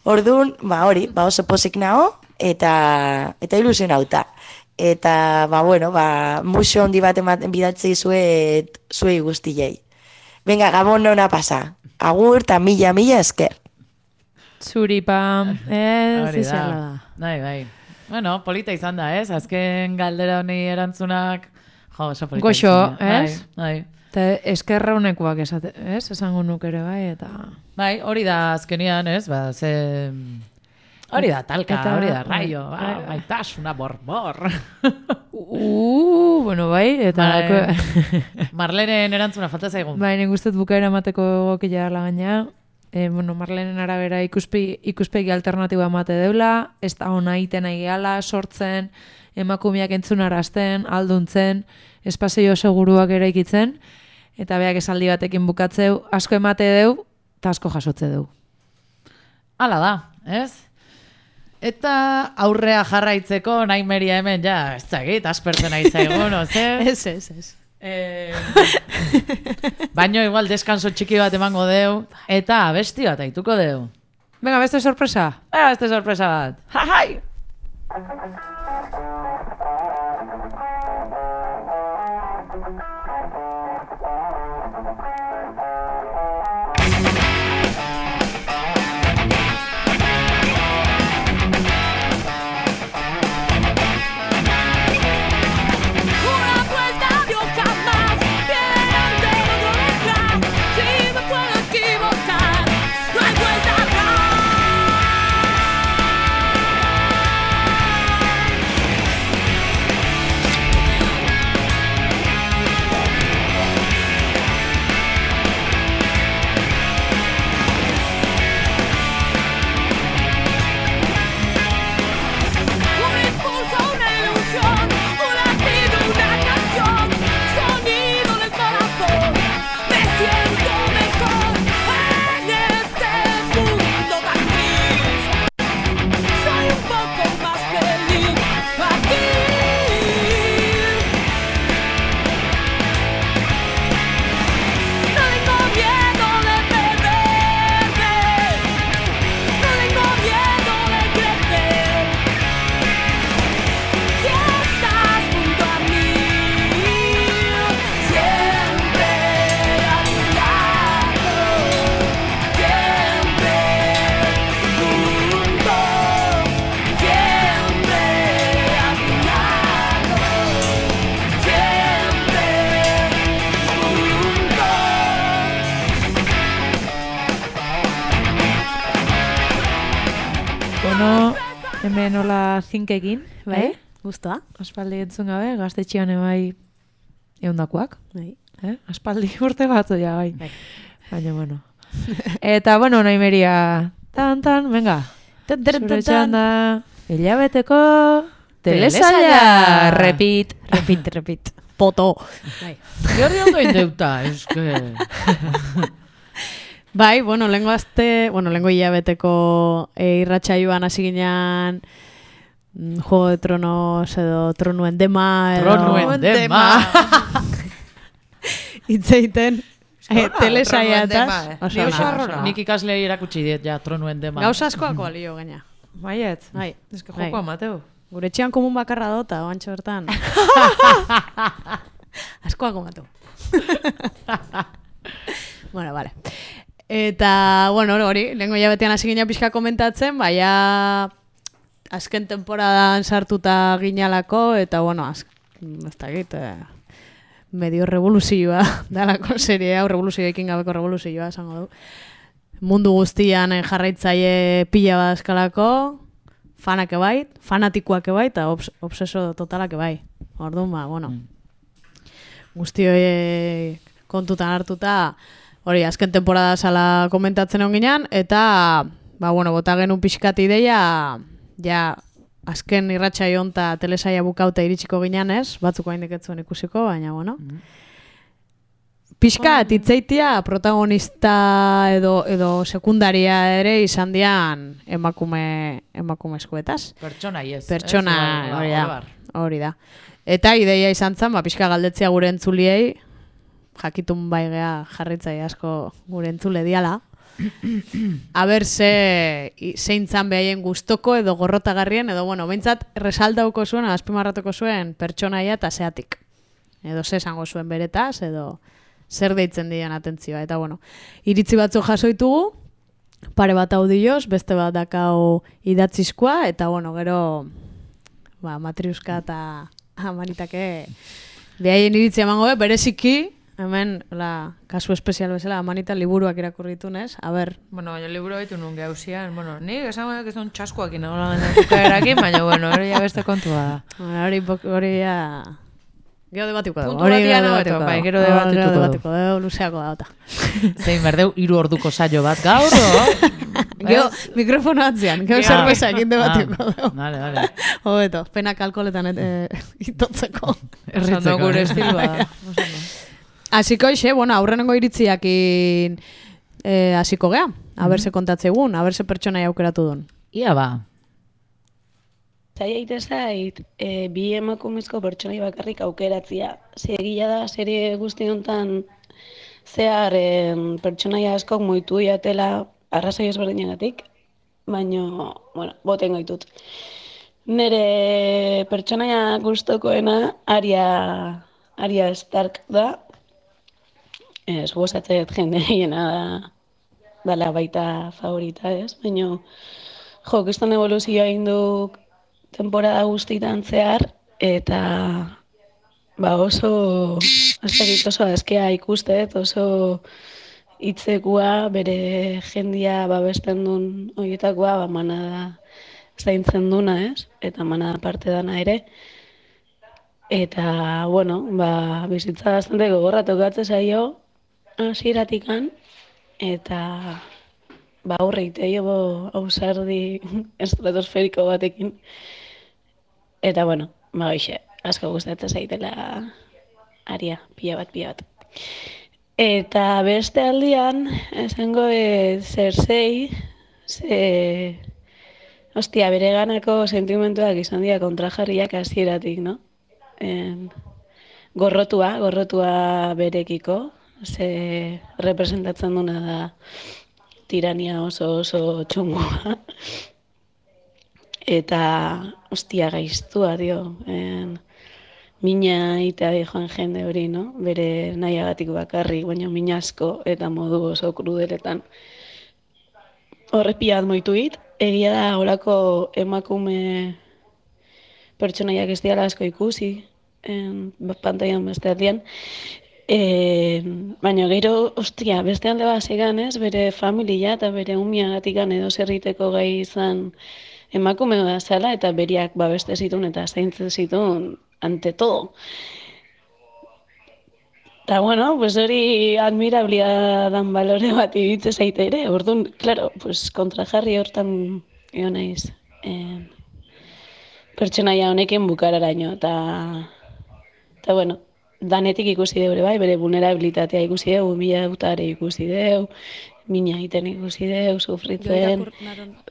Orduan, ba hori, ba oso pozik nao, eta, eta ilusionauta. Eta, ba bueno, ba, muxo handi bat ematen bidatzi zuet, zuei guztiei. Venga, Gabon ona pasa. Agur eta mila, mila esker. Zuri, Pam. Ez, Hori izala da. da. Bai, bai. Bueno, polita izan da, ez? Azken galdera honi erantzunak, jo, oso polita Goxo, izan da. ez? Bai, Eta eskerra honekoak esate, ez? Esango nuk ere bai, eta... bai, hori da azkenian, ez? Ba, ze... Hori da talka, Eta- hori da raio, bai, ba, bai. maitasuna borbor. Uh, bueno, bai, eta... Bai, Marlenen erantzuna falta zaigun. Bai, nik uste dut bukaera emateko egokia dela gaina. E, bueno, Marlenen arabera ikuspegi, ikuspegi alternatiba emate deula, ez da ona iten nahi gehala, sortzen, emakumeak entzunarazten, alduntzen, espazio seguruak eraikitzen, eta beak esaldi batekin bukatzeu, asko emate deu, eta asko jasotze deu. Hala da, ez? Eta aurrea jarraitzeko nahi meria hemen, ja, ez zagit, aspertzen nahi zaigun, oze? Ez, ez, ez. Eh, baino igual deskanso txiki bat emango deu, eta abesti bat aituko deu. Venga, beste sorpresa. Venga, beste sorpresa bat. Jajai! Una vuelta dio jamás, bien de otro detrás. Si me puedo equivocar, no hay vuelta atrás. Un impulso, una ilusión, un latido, una canción, sonido del corazón. Me siento mejor en este mundo tan gris. Soy un poco más feliz aquí. No tengo miedo de perderme, no tengo miedo de crecer. Si estás junto a mí, siempre a mi lado, siempre juntos, siempre a mi lado, siempre Bueno, hemen hola zinkekin, Bai, eh? guztua. Aspaldi entzun gabe, gaztetxean bai eundakoak. Bai. Eh? Aspaldi urte batzu ja, bai. Baina, bueno. Eta, bueno, nahi meria, tan, tan, venga. Zure txanda, hilabeteko telesaila. Repit, repit, repit. Poto. Bai. Gerri ondo indeuta, eske... Bai, bueno, lengo azte, bueno, lengo hilabeteko e, irratsaioan hasi ginean mm, Juego de Tronos edo Tronuen dema edo... Tronuen dema. Itzeiten e, telesaiataz. Ni oso arrora. Nik ikaslei erakutsi diet, ja, tronuen dema. Gauza askoak balio gaina. Baiet, bai. eske joko amateu. Gure etxean komun bakarra dota, oantxo bertan. Askoak amateu. Bueno, vale. Eta, bueno, hori, lehenko jabetean hasi gina pixka komentatzen, baina azken temporadan sartuta ginalako, eta, bueno, az, ez dakit, eh, medio revoluzioa dalako serie hau, revoluzioekin gabeko revoluzioa, esango du. Mundu guztian eh, jarraitzaile pila badazkalako, fanak ebai, fanatikoak ebai, eta obs obseso totalak ebai. Orduan, ba, bueno, guzti hori kontutan hartuta, hori, azken temporada sala komentatzen hon ginean, eta, ba, bueno, bota genuen pixkat ideia, ja, azken irratsaio honta telesaia bukauta iritsiko ginean ez, batzuk hain deketzuen ikusiko, baina, bueno. Pixkat, itzeitia protagonista edo, edo sekundaria ere izan dian emakume, emakumezkoetaz. Pertsona, yes. Pertsona, hori da, hori da. Eta ideia izan zen, ba, pixka galdetzea gure entzuliei, jakitun bai gea jarritzai asko gure entzule diala. Aber ze zeintzan behaien gustoko edo gorrotagarrien, edo bueno, behintzat resaldauko zuen, azpimarratuko zuen pertsonaia eta zeatik. Edo ze esango zuen beretaz, edo zer deitzen dian atentzioa. Eta bueno, iritzi batzu jasoitugu, pare bat audioz, beste bat dakau idatzizkoa, eta bueno, gero ba, Matriuska eta Amanitake behaien iritzia emango, be, bereziki, hemen, la, kasu espezial bezala, Amanita liburuak irakurritu, nes? A ber. Bueno, baina liburu baitu nun gauzian, bueno, ni esan que son txaskoakin, nola erakin, baina, bueno, hori ja beste kontua da. Bueno, hori, hori ja... Gero debatiko dugu. Puntu batia debatiko, bai, gero debatituko dugu. Debatiko dugu, luzeako da, ota. Zein berdeu, hiru orduko saio bat gaur, o? Gero, mikrofono atzean, gero zerbeza egin debatiko dugu. Vale, vale. Hobeto, penak alkoholetan itotzeko. Erritzeko. Gure estilua. Hasiko ixe, bueno, aurrenengo iritziakin hasiko gea. Haberse kontatzegun, haberse pertsona aukeratu duen. Ia ba. Zaila ite zait, e, bi emakumezko pertsonai bakarrik aukeratzia. Ze egia da, serie guzti honetan zehar e, pertsonaia askok moitu jatela arrazoi ezberdinagatik, baina, bueno, boten gaitut. Nere pertsonaia gustokoena Arya, Arya Stark da. Ez, gozatzet jende hiena da, dala baita favorita, ez? Baina, jo, kriston evoluzioa egin du temporada guztitan zehar, eta ba oso, azterit oso azkea ikustet, oso hitzekua, bere jendia babesten duen horietakoa, ba manada zaintzen duna, ez? Eta manada parte dana ere. Eta, bueno, ba, bizitza bastante gogorra tokatze zaio, hasieratikan, eta ba aurre iteio ausardi estratosferiko batekin. Eta, bueno, ba hoxe, asko gustatzen zaitela Arya, pila bat, pila bat. Eta beste aldian, esango e, Cersei, ze, ostia, bere ganako sentimentuak izan dira kontrajarriak hasieratik, no? En, gorrotua, gorrotua berekiko, ze representatzen duna da tirania oso oso txungoa. Eta, ostia, gaiztua, dio. En, mina itea di joan jende hori, no? Bere nahiagatik bakarrik, baina mina asko eta modu oso krudeletan. Horre pilat moitu hit. Egia da, holako emakume pertsonaiak ez diala asko ikusi, en, pantailan beste aldean. E, baina gero, ostia, beste alde bat zegan, ez, bere familia eta bere umiagatikan edo zerriteko gai izan emakume da zela, eta beriak babeste zituen eta zaintzen zituen ante todo. Eta, bueno, pues hori admirablia dan balore bat iritze zaite ere, orduan, claro, pues kontrajarri hortan egon naiz. Eh, pertsonaia honekin bukararaino, eta, eta bueno, danetik ikusi deure bai, bere vulnerabilitatea ikusi deu, mila utare ikusi deu, mina egiten ikusi deu, sufritzen,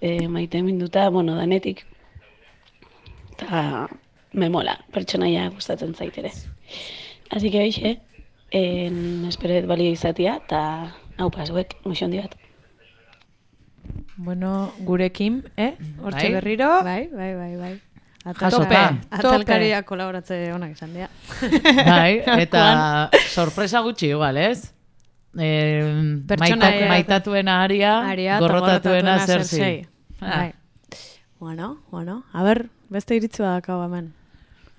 e, maite minduta, bueno, danetik. Eta me mola, pertsonaia gustatzen zaitere. Así que hoxe, en esperet balio izatia, eta hau pasuek, muxo handi bat. Bueno, gurekin, eh? Hortxe Bai. berriro. Bai, bai, bai, bai. Jasota. Atalkaria kolaboratze onak izan dira. Bai, eta sorpresa gutxi igual, ez? Eh, Pertsonaia- maitatuena Arya, Arya eta gorrotatuena gorrotatuena Cersei. Cersei. Ah. Bai. Bueno, bueno, a ber, beste iritzi badakau hemen.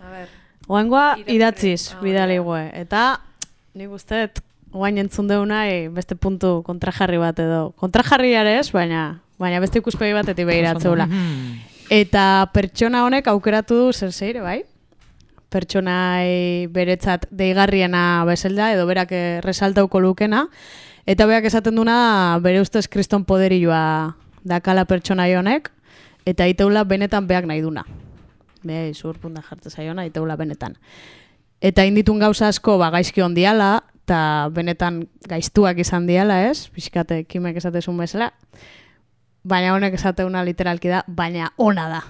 A ber. Oaingoa idatziz, bidali gue. Eta nik usteet, oain entzun deuna beste puntu kontrajarri bat edo. Kontrajarri ere ez, baina, baina beste ikuspegi batetik behiratzeula. Eta pertsona honek aukeratu du Cerseire, bai? Pertsonai beretzat deigarriena bezalda, edo berak resaltauko lukena. Eta berak esaten duna bere ustez kriston poderioa dakala pertsonai honek, eta iteula benetan beak nahi duna. Be, izur punta jartze zaiona, iteula benetan. Eta inditun gauza asko ba, gaizki ondiala, eta benetan gaiztuak izan diala, ez? Pixkate, kimek esatezun bezala. Baina honek esateuna literalki da, baina ona da.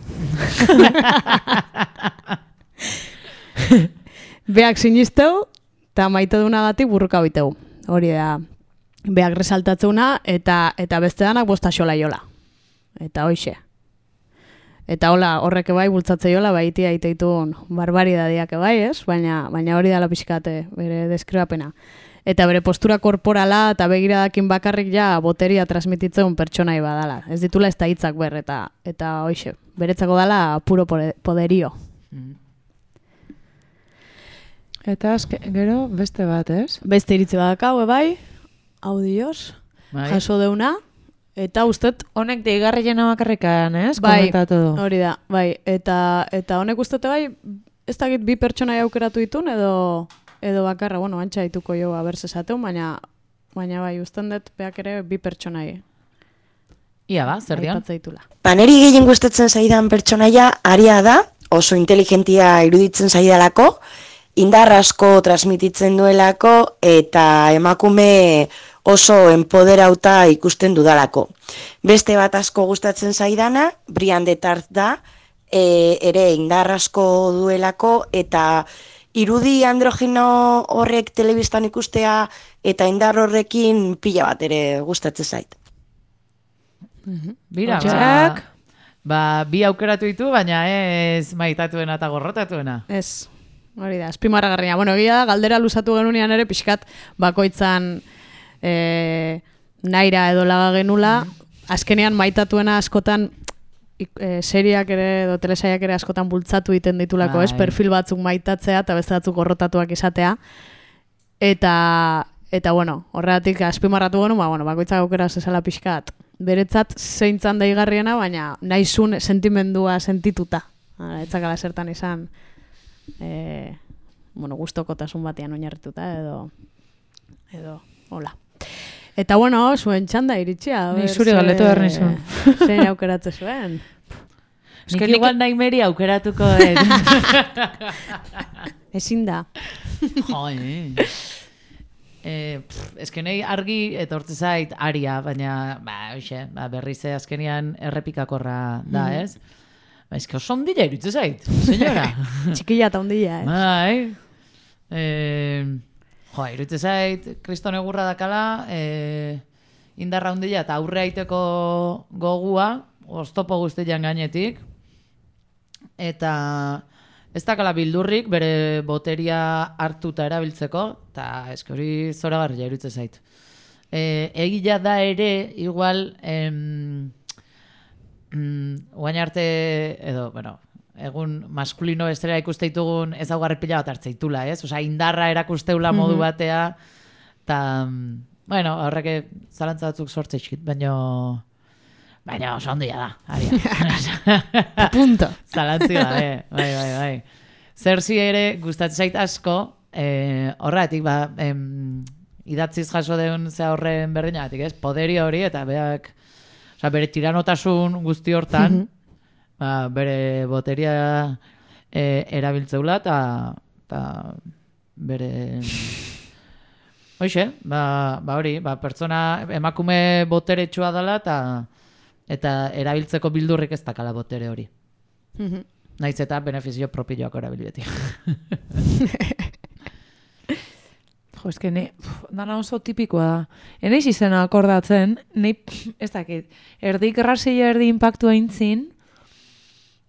Beak sinisteu, eta maite dunagatik burruka biteu. Hori da, beak resaltatzeuna, eta eta beste danak bosta xola jola. Eta hoixe. Eta hola, horreke bai, bultzatze jola, bai itia iteitun barbaridadiak bai, ez? Baina, baina hori dala pixkate, bere deskribapena. Eta bere postura korporala eta begiradakin bakarrik ja boteria transmititzeun pertsonai badala. Ez ditula ez da hitzak ber, eta, eta hoixe, beretzako dala puro poderio. Eta azke, gero beste bat, ez? Beste iritzi badakau, bai, audioz, Bai. jaso deuna, eta ustet... Honek deigarri jena bakarrikan, ez? Bai, Komentatu du. hori da, bai, eta, eta honek ustete bai, ez dakit bi pertsona aukeratu ditun, edo, edo bakarra, bueno, antxa dituko jo aberse esateun, baina, baina bai, usten dut beak ere bi pertsonai. Ia ba, zer dion? Aipatzaitula. Ba, neri gehien gustatzen zaidan pertsonaia aria da, oso inteligentia iruditzen zaidalako, indar asko transmititzen duelako eta emakume oso enpoderauta ikusten dudalako. Beste bat asko gustatzen zaidana, Brian de Tart da, e, ere indar asko duelako eta irudi androgino horrek telebistan ikustea eta indar horrekin pila bat ere gustatzen zait. Bira, ba, Jack. ba, bi aukeratu ditu, baina ez maitatuena eta gorrotatuena. Ez, hori da, azpimarragarria. Bueno, egia da, galdera luzatu genunean ere, pixkat bakoitzan e, naira edo laga genula, azkenean maitatuena askotan ik- e, seriak ere edo telesaiak ere askotan bultzatu egiten ditulako, ez? Bai. Perfil batzuk maitatzea eta beste batzuk gorrotatuak izatea. Eta, eta bueno, horregatik azpimarratu genu, ba, bueno, bakoitzak aukera zezala pixkat. Beretzat zeintzan daigarriena, baina nahizun sentimendua sentituta. Hala, etzakala zertan izan, e, bueno, gustokotasun batean oinarrituta edo, edo, hola. Eta bueno, zuen txanda iritsia. a Ni ber, zuri ze- galdetu behar nizun. Zein aukeratze zuen. Nik igual nahi meri aukeratuko dut. Ezin da. Jo, eh. Eh, pff, eske nahi argi etortze zait aria, baina ba, hoxe, ba, berriz azkenian errepikakorra da, Mhm. ez? Ba, eske oso ondila irutze zait, senyora. Txikilla eta ondila, ez? Bai. Eh, jo, irutze zait, kriston egurra dakala, eh, indarra ondila eta aurre aiteko gogua, oztopo guztian gainetik, eta ez dakala bildurrik bere boteria hartuta erabiltzeko, eta eske hori zoragarria irutze zait. E, egia da ere, igual, em, mm, oain arte, edo, bueno, egun maskulino bestera ikuste ditugun ezaugarri pila bat hartzeitula, ez? Osea, indarra erakusteula modu Mhm. batea, eta, mm, bueno, horrek zalantza batzuk sortzeizkit, baino... Baina oso ondia da, aria. Punto. Zalantzi gabe, bai, bai, bai. Zerzi ere gustatzen zait asko, eh, horregatik, ba, em, idatziz jaso deun ze horren berdinagatik, ez? Poderio hori eta beak, osea, bere tiranotasun guzti hortan, Mhm. ba, bere boteria eh, erabiltzeula eta eta bere... Hoxe, ba, ba hori, ba, pertsona emakume boteretsua dela eta eta erabiltzeko bildurrik ez dakala botere hori. Mhm. Naiz eta benefizio propioak erabilbeti. Jo, eske ne, pf, dana oso tipikoa da. Eneiz izena akordatzen, nei, pf, ez dakit, erdi grasila erdi impactua intzin,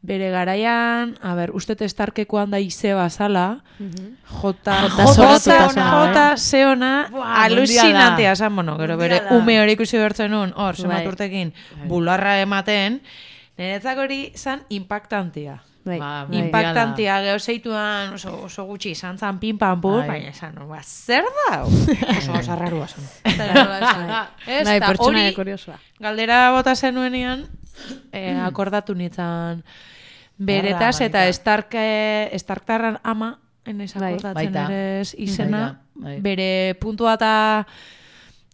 bere garaian, a ber, uste testarkekoan da ize bazala, jota, Jota jota, zorratuta jota, zela, jota, eh? zeona, Buah, alucinantea zan, bueno, gero bere Mundiala. ume hori ikusi bertzen nun, hor, Bai. zemat urtekin, bularra ematen, niretzak hori zan impactantia. Bai. Ba, Bai. Impactantia, geho zeituan oso, oso gutxi izan zan pin pan pur, Bai. baina esan, ba, zer da? Oso oso rarua zan. Ez, Bai, eta pertsonaia hori kuriosoa. galdera bota zenuenean, eh, akordatu nitzan beretaz Erra, eta manika. Stark, eh, Starktarran ama, enez Bai. akordatzen Baita. ere ez izena, Baita, bai. bere puntua eta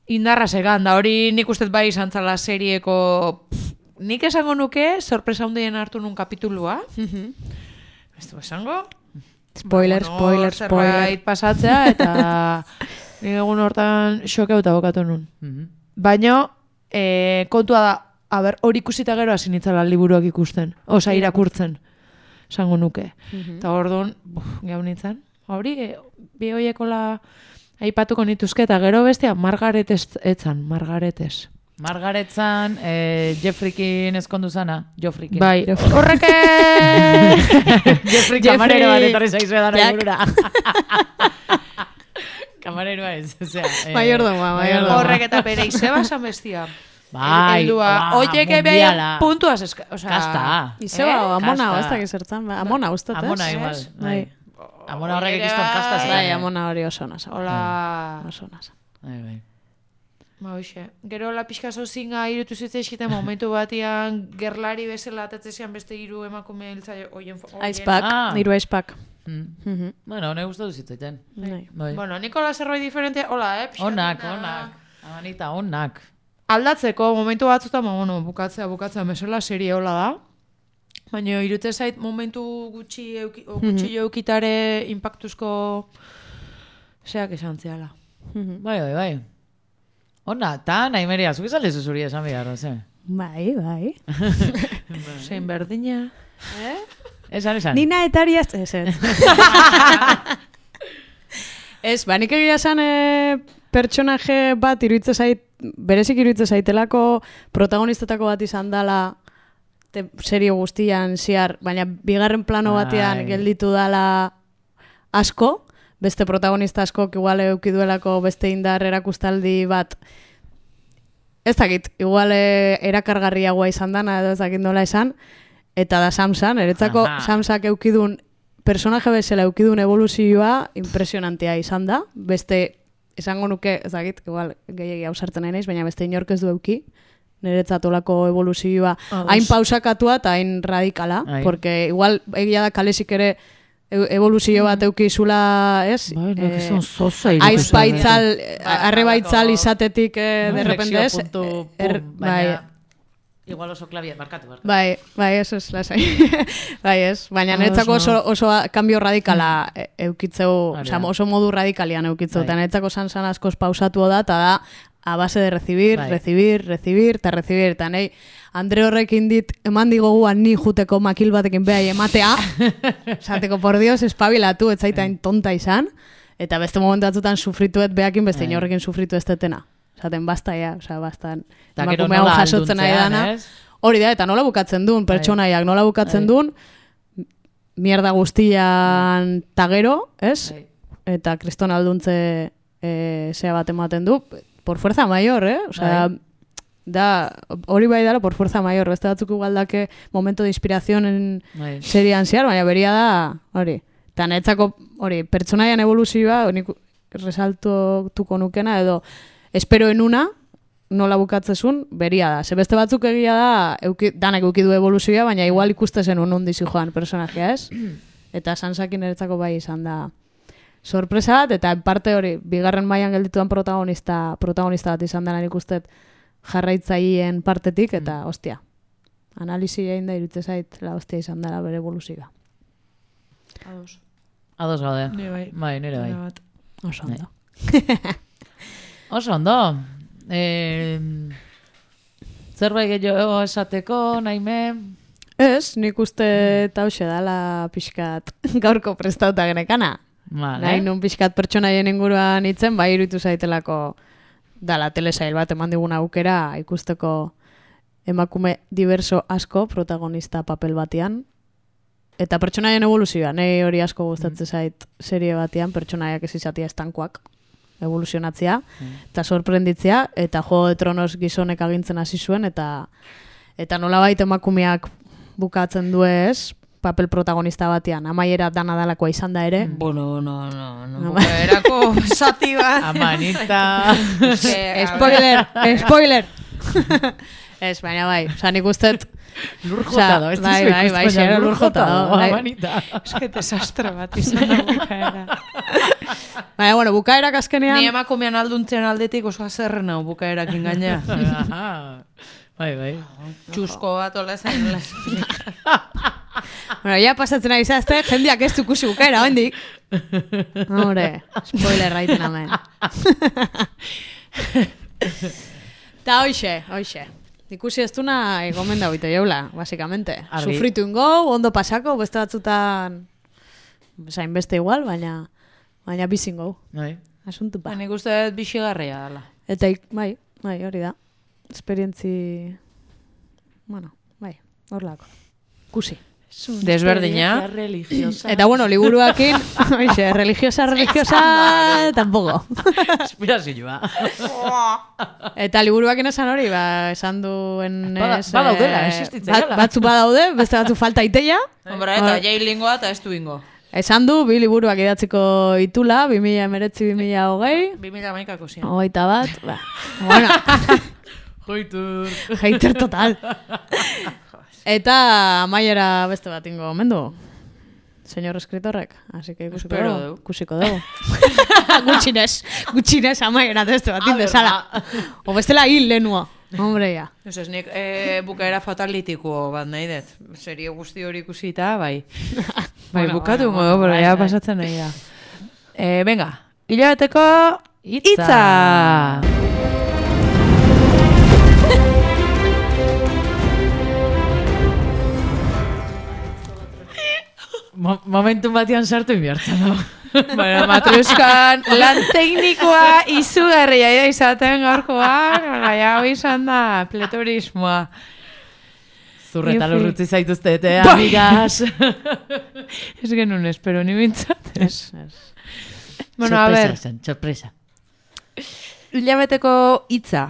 indarra segan, da hori nik uste bai izan zala serieko, pff, nik esango nuke, sorpresa handien hartu nun kapitulua, ez du esango? Spoiler, Ba, spoiler, spoiler. zerbait pasatzea, eta nik egun hortan xokeuta bokatu nun. Mhm. Baina, e, kontua da, a ber, hori ikusita gero hasi nitzala liburuak ikusten, osa irakurtzen, esango nuke. Eta orduan, buf, gau nintzen, hori, e, bi hoiekola aipatuko nituzke, eta gero bestia, Margaret ez- etzan, Margaretes. Margaretzan, eh, Jeffreykin ezkondu zana, Joffreykin. Bai, horrek Jeffrey kamarero bat etorri zaizu edan Jack. egurura. Kamareroa ez, osea. eh, Mayordomoa, mayordomoa. horrek eta bere izeba zan bestia. Bai, Heldua. ba, Oiek mundiala. ebe puntuaz eska... O sea, Kasta. Izeba, amona, Kasta. ez dakit zertan, ba, amona ustat, ez? Amona igual, bai. Amona horrek Oiek ikiston bai. kasta Bai, zelan. amona hori oso nasa. Hola... Oso nasa. Bai, bai. Ba, hoxe. Gero la pixka zozinga irutu zitzaizkiten momentu batian gerlari bezala atatzezian beste hiru emakume hiltzaile oien... Aizpak, Ah. niru aizpak. Mm. Bueno, nahi gustatu zitzaiten. Bai. Bai. Bueno, Nikola zerbait diferente, hola, eh? pixka Onak, fina. onak. Amanita, onak. Aldatzeko momentu batzutan, ba, bueno, bukatzea, bukatzea, mesela serie hola da. Baina irute zait momentu gutxi euki, o gutxi Mhm. eukitare impactuzko zeak esan zehala. Bai, bai, bai. Ona, ta nahi meria, zuk izan lezu zuri esan behar, ze? Bai, bai. Zein berdina. Eh? Esan, esan. Nina etariaz, ez, ez. Ez, ba, nik egia esan e, pertsonaje bat iruitze zait, berezik iruitze zaitelako protagonistetako bat izan dala te, serio guztian ziar, baina bigarren plano batean Ai. gelditu dala asko, beste protagonista asko igual eukiduelako beste indar erakustaldi bat, ez dakit, igual e, erakargarriagoa izan dana edo ez dakit nola esan, eta da Samsan, eretzako Aha. Samsak eukidun, personaje bezala eukidun evoluzioa impresionantea izan da, beste, esango nuke, ez dakit, igual gehiagi hausartzen nahi naiz, baina beste inork ez du euki, niretzat olako evoluzioa Ados. hain pausakatua eta hain radikala, Ai. porque igual egia da kalesik ere e- evoluzio bat eukizula, ez? Bai, nik Eh, ez dut zoza irutu Aiz zait. baitzal, Bai, arrebaitzal izatetik, eh, de Inflexio repente, ez? puntu, Er- pum, bai, baina... Igual oso klabia, markatu, markatu. Bai, bai, eso es, lasai. bai, ez. Baina Ah, niretzako oso. oso, oso cambio radikala e- eukitzeu, Hori osea, da. oso modu radikalian eukitzeu, Bai. eta niretzako sansan askoz pausatu da, eta da, a base de recibir, Bai. recibir, recibir, eta recibir, eta nahi, Andre horrekin dit, eman digo guan ni juteko makil batekin behai ematea, esateko, por Dios, espabilatu, ez zaitain tonta izan, eta beste momentu batzutan sufrituet behakin beste Bai. inorrekin sufritu ez tetena. Esaten, basta ja, osea, bastan, Ta gero emakume hau nola jasotzen nahi alduntzean, dana. ez? Hori da, eta nola bukatzen duen, pertsonaiak nola bukatzen Bai. duen, mierda guztian tagero, ez? Bai. Eta kriston alduntze e, zea bat ematen du, por fuerza mayor, eh? Osea, Bai. da, hori bai dala por fuerza mayor, beste batzuk igualdake momento de inspiración Bai. serian ziar, baina beria da, hori. Eta netzako, hori, pertsonaian evoluzioa, nik resaltuko nukena, edo espero en una, nola bukatzezun, beria da. Ze beste batzuk egia da, euki, danak euki du evoluzioa, baina igual ikustezen un ondizi joan personajea, ez? Eta Sansakin eretzako bai izan da sorpresa bat, eta en parte hori, bigarren mailan geldituan protagonista, protagonista bat izan da nik ustet jarraitzaileen partetik, eta ostia, analisi egin da irutze zait, la ostia izan dela bere evoluzioa. Ados. Ados gaude. Ni bai. Bai, nire bai. Nire bat. Oso ondo. Oso ondo. Eh, zerbait gehiago esateko, naime? Ez, nik uste eta hoxe dala pixkat gaurko prestauta genekana. Vale. Nahi nun pixkat pertsonaien inguruan itzen, bai iruditu zaitelako dala telesail bat eman digun aukera ikusteko emakume diverso asko protagonista papel batean. Eta pertsonaien evoluzioa, nahi hori asko gustatzen zait serie batean, pertsonaiak ez izatea estankoak evoluzionatzea, eta sorprenditzea, eta Juego de Tronos gizonek agintzen hasi zuen, eta eta nolabait emakumeak bukatzen du ez, papel protagonista batean, amaiera dana dalakoa izan da ere. Bueno, no, no, no. Ama- Bukaerako zati bat. Amanita. Eske, a Spoiler, ver. spoiler! Ez, baina bai, oza, nik ustet... Lur jota do, ez bai, dizu bai, ikusten, bai, baina zero lur lur jota jota do, do, bai. amanita. Eske desastre bat izan da bukaera. Baina, bueno, bukaerak azkenean... Ni emakumean alduntzen aldetik oso azerren hau bukaerakin gaina. Aha. Bai, bai. Txusko bat ola esan. Bueno, ya pasatzen ari zazte, jendeak ez dukusi bukaera, hendik. Hombre, spoiler raiten amen. Ta hoxe, hoxe. Ikusi ez duna egomen da bito jaula, basikamente. Argi. Sufritu ingo, ondo pasako, beste batzutan... Zain beste igual, baina... Baina bizingo. Bai. Asuntu pa. Nik uste dut bixigarria dela. Eta, ik- bai, bai, hori da. Esperientzi... Bueno, bai, hor lako. Kusi. Desberdina. Eta bueno, liburuakin, oixe, religiosa, religiosa, tampoco. Inspirazioa. Eta liburuakin esan hori, ba, esan duen... Bada- ez, badaudela, eh, existitzen bat- dela. Batzu badaude, beste batzu falta iteia. Hombre, eta jai lingoa eta ez du ingo. Esan du, bi liburuak idatziko itula, bi mila emeretzi, bi mila hogei. bi mila hamaikako zian. Hogeita bat, ba, bueno. Joitur. Hater total. Eta amaiera beste bat ingo mendu. Señor escritorrek, así que ikusiko Espero dugu. dugu. Ikusiko dugu. Gutxinez, gutxinez amaiera beste bat indezala. O bestela hil lenua. Hombre, ja. Ez ez, nik eh, bukaera fatalitiko bat nahi dut. Serie guzti hori ikusita, bai. Bai, Bueno, bukatu bueno, ingo, bueno, pero bai, ja bai. pasatzen nahi da. Eh, venga, hilabeteko Hitza. hitza. Mo momentu batean sartu inbiartzen dago. Bueno, Matruskan lan teknikoa izugarria da izaten gaurkoan, gai hau izan da pletorismoa. Zurreta Iufi. lurrutzi zaituztete, Bai. amigas. Ez genuen espero, ni bintzat. Ez, ez. Bueno, a Sorpresa ver, zen, sorpresa. hilabeteko hitza.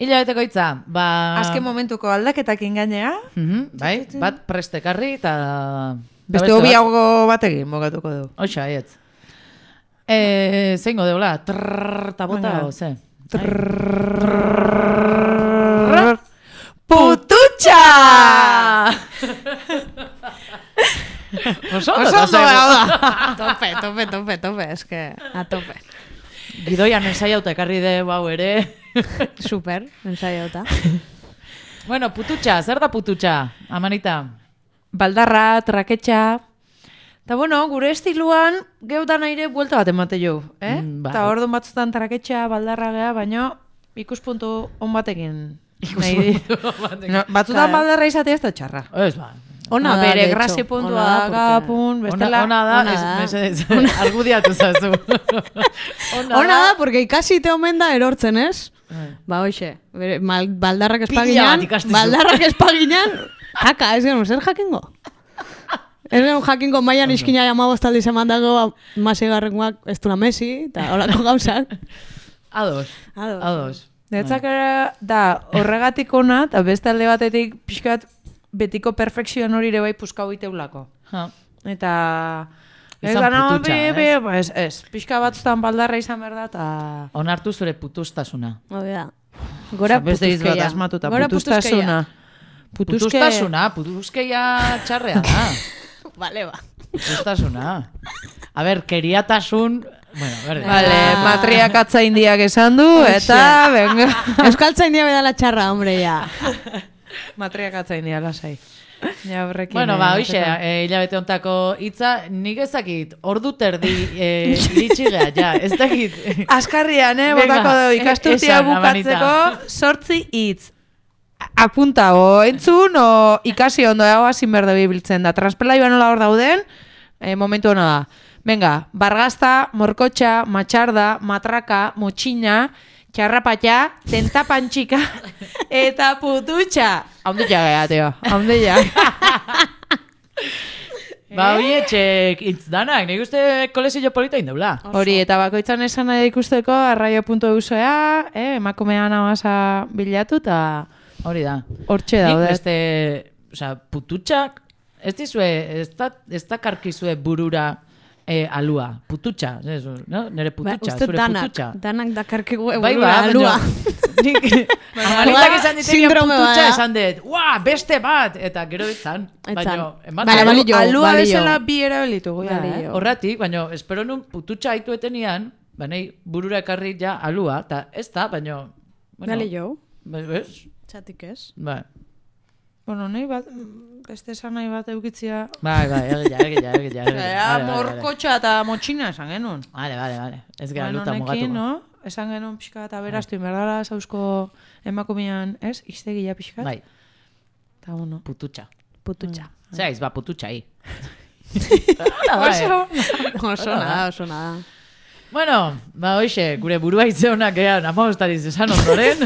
Hilabeteko hitza, ba... Azken momentuko aldaketakin gainea. Mhm, bai, bat prestekarri eta... Beste eta hobi bat- hau bat egin, bogatuko dugu. Oixa, aietz. Eh, zeingo deula, trrrr, ta bota, Venga. o ze? Pututxa! Oso Oso ondo ondo zaigu. da. Tope, tope, tope, tope, eske, a tope. Gidoian ensaiauta ekarri de hau ere. Super, ensaiauta. Bueno, pututxa, zer da pututxa, Amanita? Baldarra, traketxa. Eta bueno, gure estiluan geudan aire buelta bat emate jo. Eh? Mm, bai. Eta orduan batzutan traketxa, baldarra gea, baina ikuspuntu on batekin. nahi di- No, batzutan Claro. baldarra izatea ez da txarra. Ez ba. Ona da, bere de hecho. grazi puntua Ona da, porque- gapun, bestela... Ona, ona da, ona ez, da. mesedez, argudiatu zazu. Ona da, porque ikasi te omen da erortzen, ez? Ba, hoxe, bere, mal, baldarrak Pila espaginan, bat ikasten zu. baldarrak espaginan, haka, ez genuen, zer jakingo? Ez genuen jakingo maian iskina jamabostaldi zeman dago, masigarrengoak ez dula Messi, eta horako gauzak. Ados, Ados. ados. Netzak ere da horregatik ona, eta beste alde batetik pixkat betiko perfekzioan hori ere bai puskau iteulako. Ha. Eta... Ez Izan gana, pututxa, bi, ez? bi, ba, ez, ez. Pixka batzutan baldarra izan behar da, eta... Onartu zure putustasuna. Hori da. Gora Beste hitz bat putuzkeia. asmatuta, Gora putustasuna. putuzkeia. Putuske... Putustasuna, putuskeia txarrea da. Vale, ba. Putustasuna. A ber, keriatasun... Bueno, berde. Vale, Ah. matriak atzaindiak esan du, eta, venga. Euskaltzaindia bedala txarra, hombre, ja. Matriak atzaindia, lasai. Ja, horrekin... Bueno, eh, ba, hoxe, ateka. eh, hilabete hontako hitza, nik ezakit, ordu terdi eh, iritsi gea, ja, ez dakit. Askarrian, eh, Venga, botako dugu ikasturtia esan, bukatzeko Amanita. sortzi hitz. Apunta, o entzun, o ikasi ondo dago hazin berde bibiltzen da. Transpelaioa nola hor dauden, eh, momentu hona da. Venga, bargazta, morkotxa, matxarda, matraka, motxina, txarrapatxa, tentapantxika, eta pututxa. Haunde ja gea, teo, haunde ja. Ba, hoi etxek hitz danak, nik uste kolezio polita indeula. Hori, eta bakoitzan esan nahi ikusteko, arraio puntu eusoea, eh, emakumean amasa bilatu, eta Hori da. hortxe Nik daude. beste, osea, pututxak, ez dizue, ez da, ez da karkizue burura eh, alua, pututxa, ez, no? Nere Ba, pututxa, uste zure danak, pututxa. danak dakarkigu Bai, eburura ba, alua. Nik, Amanitak esan ditenean Sindrome pututxa bada. esan dut, ua, beste bat, eta gero etzan, Etzan. baina, ematen. Bale, balio, Alua balio. bezala bi erabilitugu, ja, Balio. eh? Horratik, baina espero nun pututxa haitu etenian, banei burura ekarri ja alua, eta ez da, baina... Bale jo. Ba, ez? Txatik ez. Ba, Bueno, nahi bat, beste esan nahi bat eukitzia... bai, bai, egia, egia, egia, egia. Ea, morkotxa eta motxina esan genuen. Vale, vale, vale. Ez gara Bueno, luta honekin, mugatuko. no? Esan genuen pixka eta beraztu, inberdala zauzko emakumean, ez? Iztegia pixka. Bai, Eta, bueno. pututxa. Pututxa. Zea, izba pututxa hi. Oso, oso nada, oso nada. Bueno, ba, hoxe, gure burua itzeonak gehan, amabostariz esan ondoren.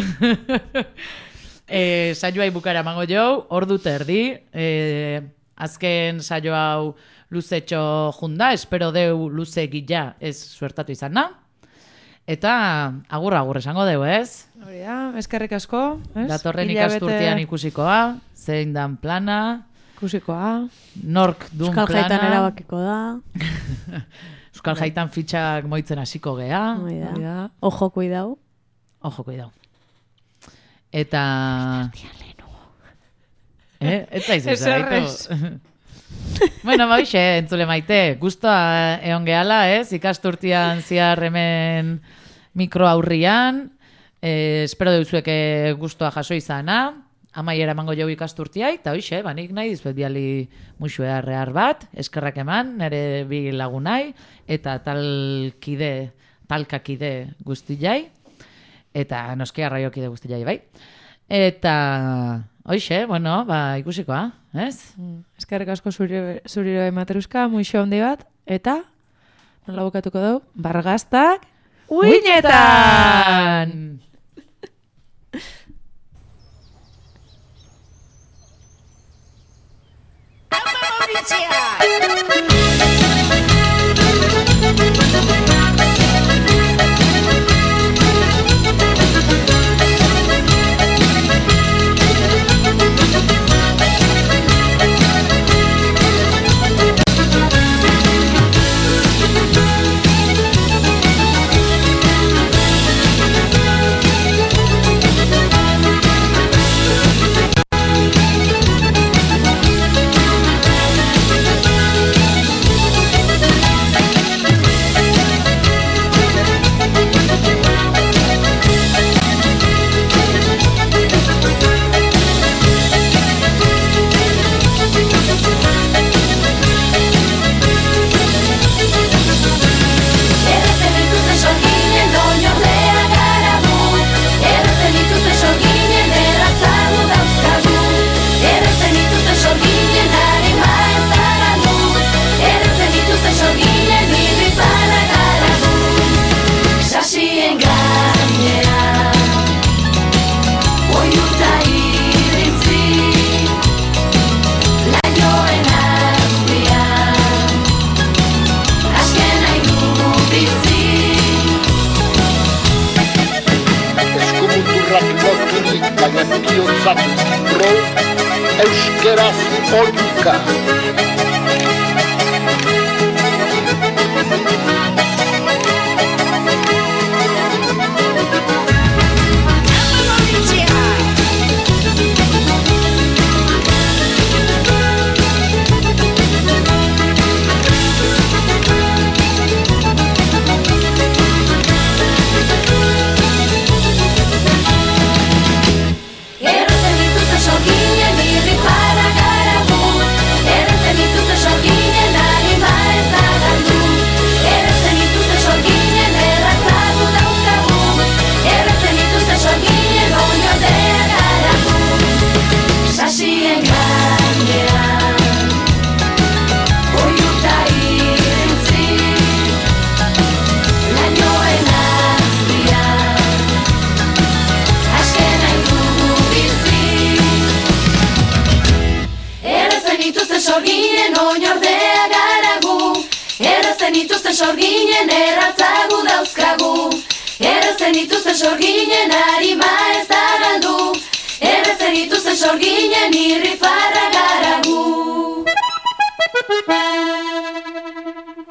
e, saioai bukara emango jau, ordu terdi, e, azken saio hau luzetxo junda, espero deu luze gila ez suertatu izana. Eta agur-agur esango deu, ez? Hori da, eskerrik asko. Ez? Datorren Hilabete- ikasturtean ikusikoa, zein dan plana. Ikusikoa. Nork dun Euskal plana. Jaitan erabakiko da. Euskal Jaitan fitxak moitzen hasiko gea. Hori da. Ojo, kuidau. Ojo, kuidau. Eta... Eh? Ez zaizu Ez zaitu. errez. Bueno, baixe, entzule maite, guztua egon gehala, ez? Ikasturtian ziar hemen mikro aurrian, eh, espero deuzueke guztua jaso izana, amaiera emango jau ikasturtiai, eta hoxe, banik nahi dizuet biali muxue arrear bat, eskerrak eman, nire bi lagunai, eta talkide, talkakide guztiai, eta noski arraiokide guztiai, bai. Eta... Hoxe, bueno, ba, ikusikoa, ez? Eskerrik asko zuri, zuriro emateruska, muixo handi bat, eta nola bukatuko dugu? Bargaztak uinetan! baina bihotzatik ro, euskeraz oiuka. Sorginen erratzagu dauzkagu, errezen dituzten sorginen harima ez da galdu, errezen dituzten sorginen irrifarra garagu.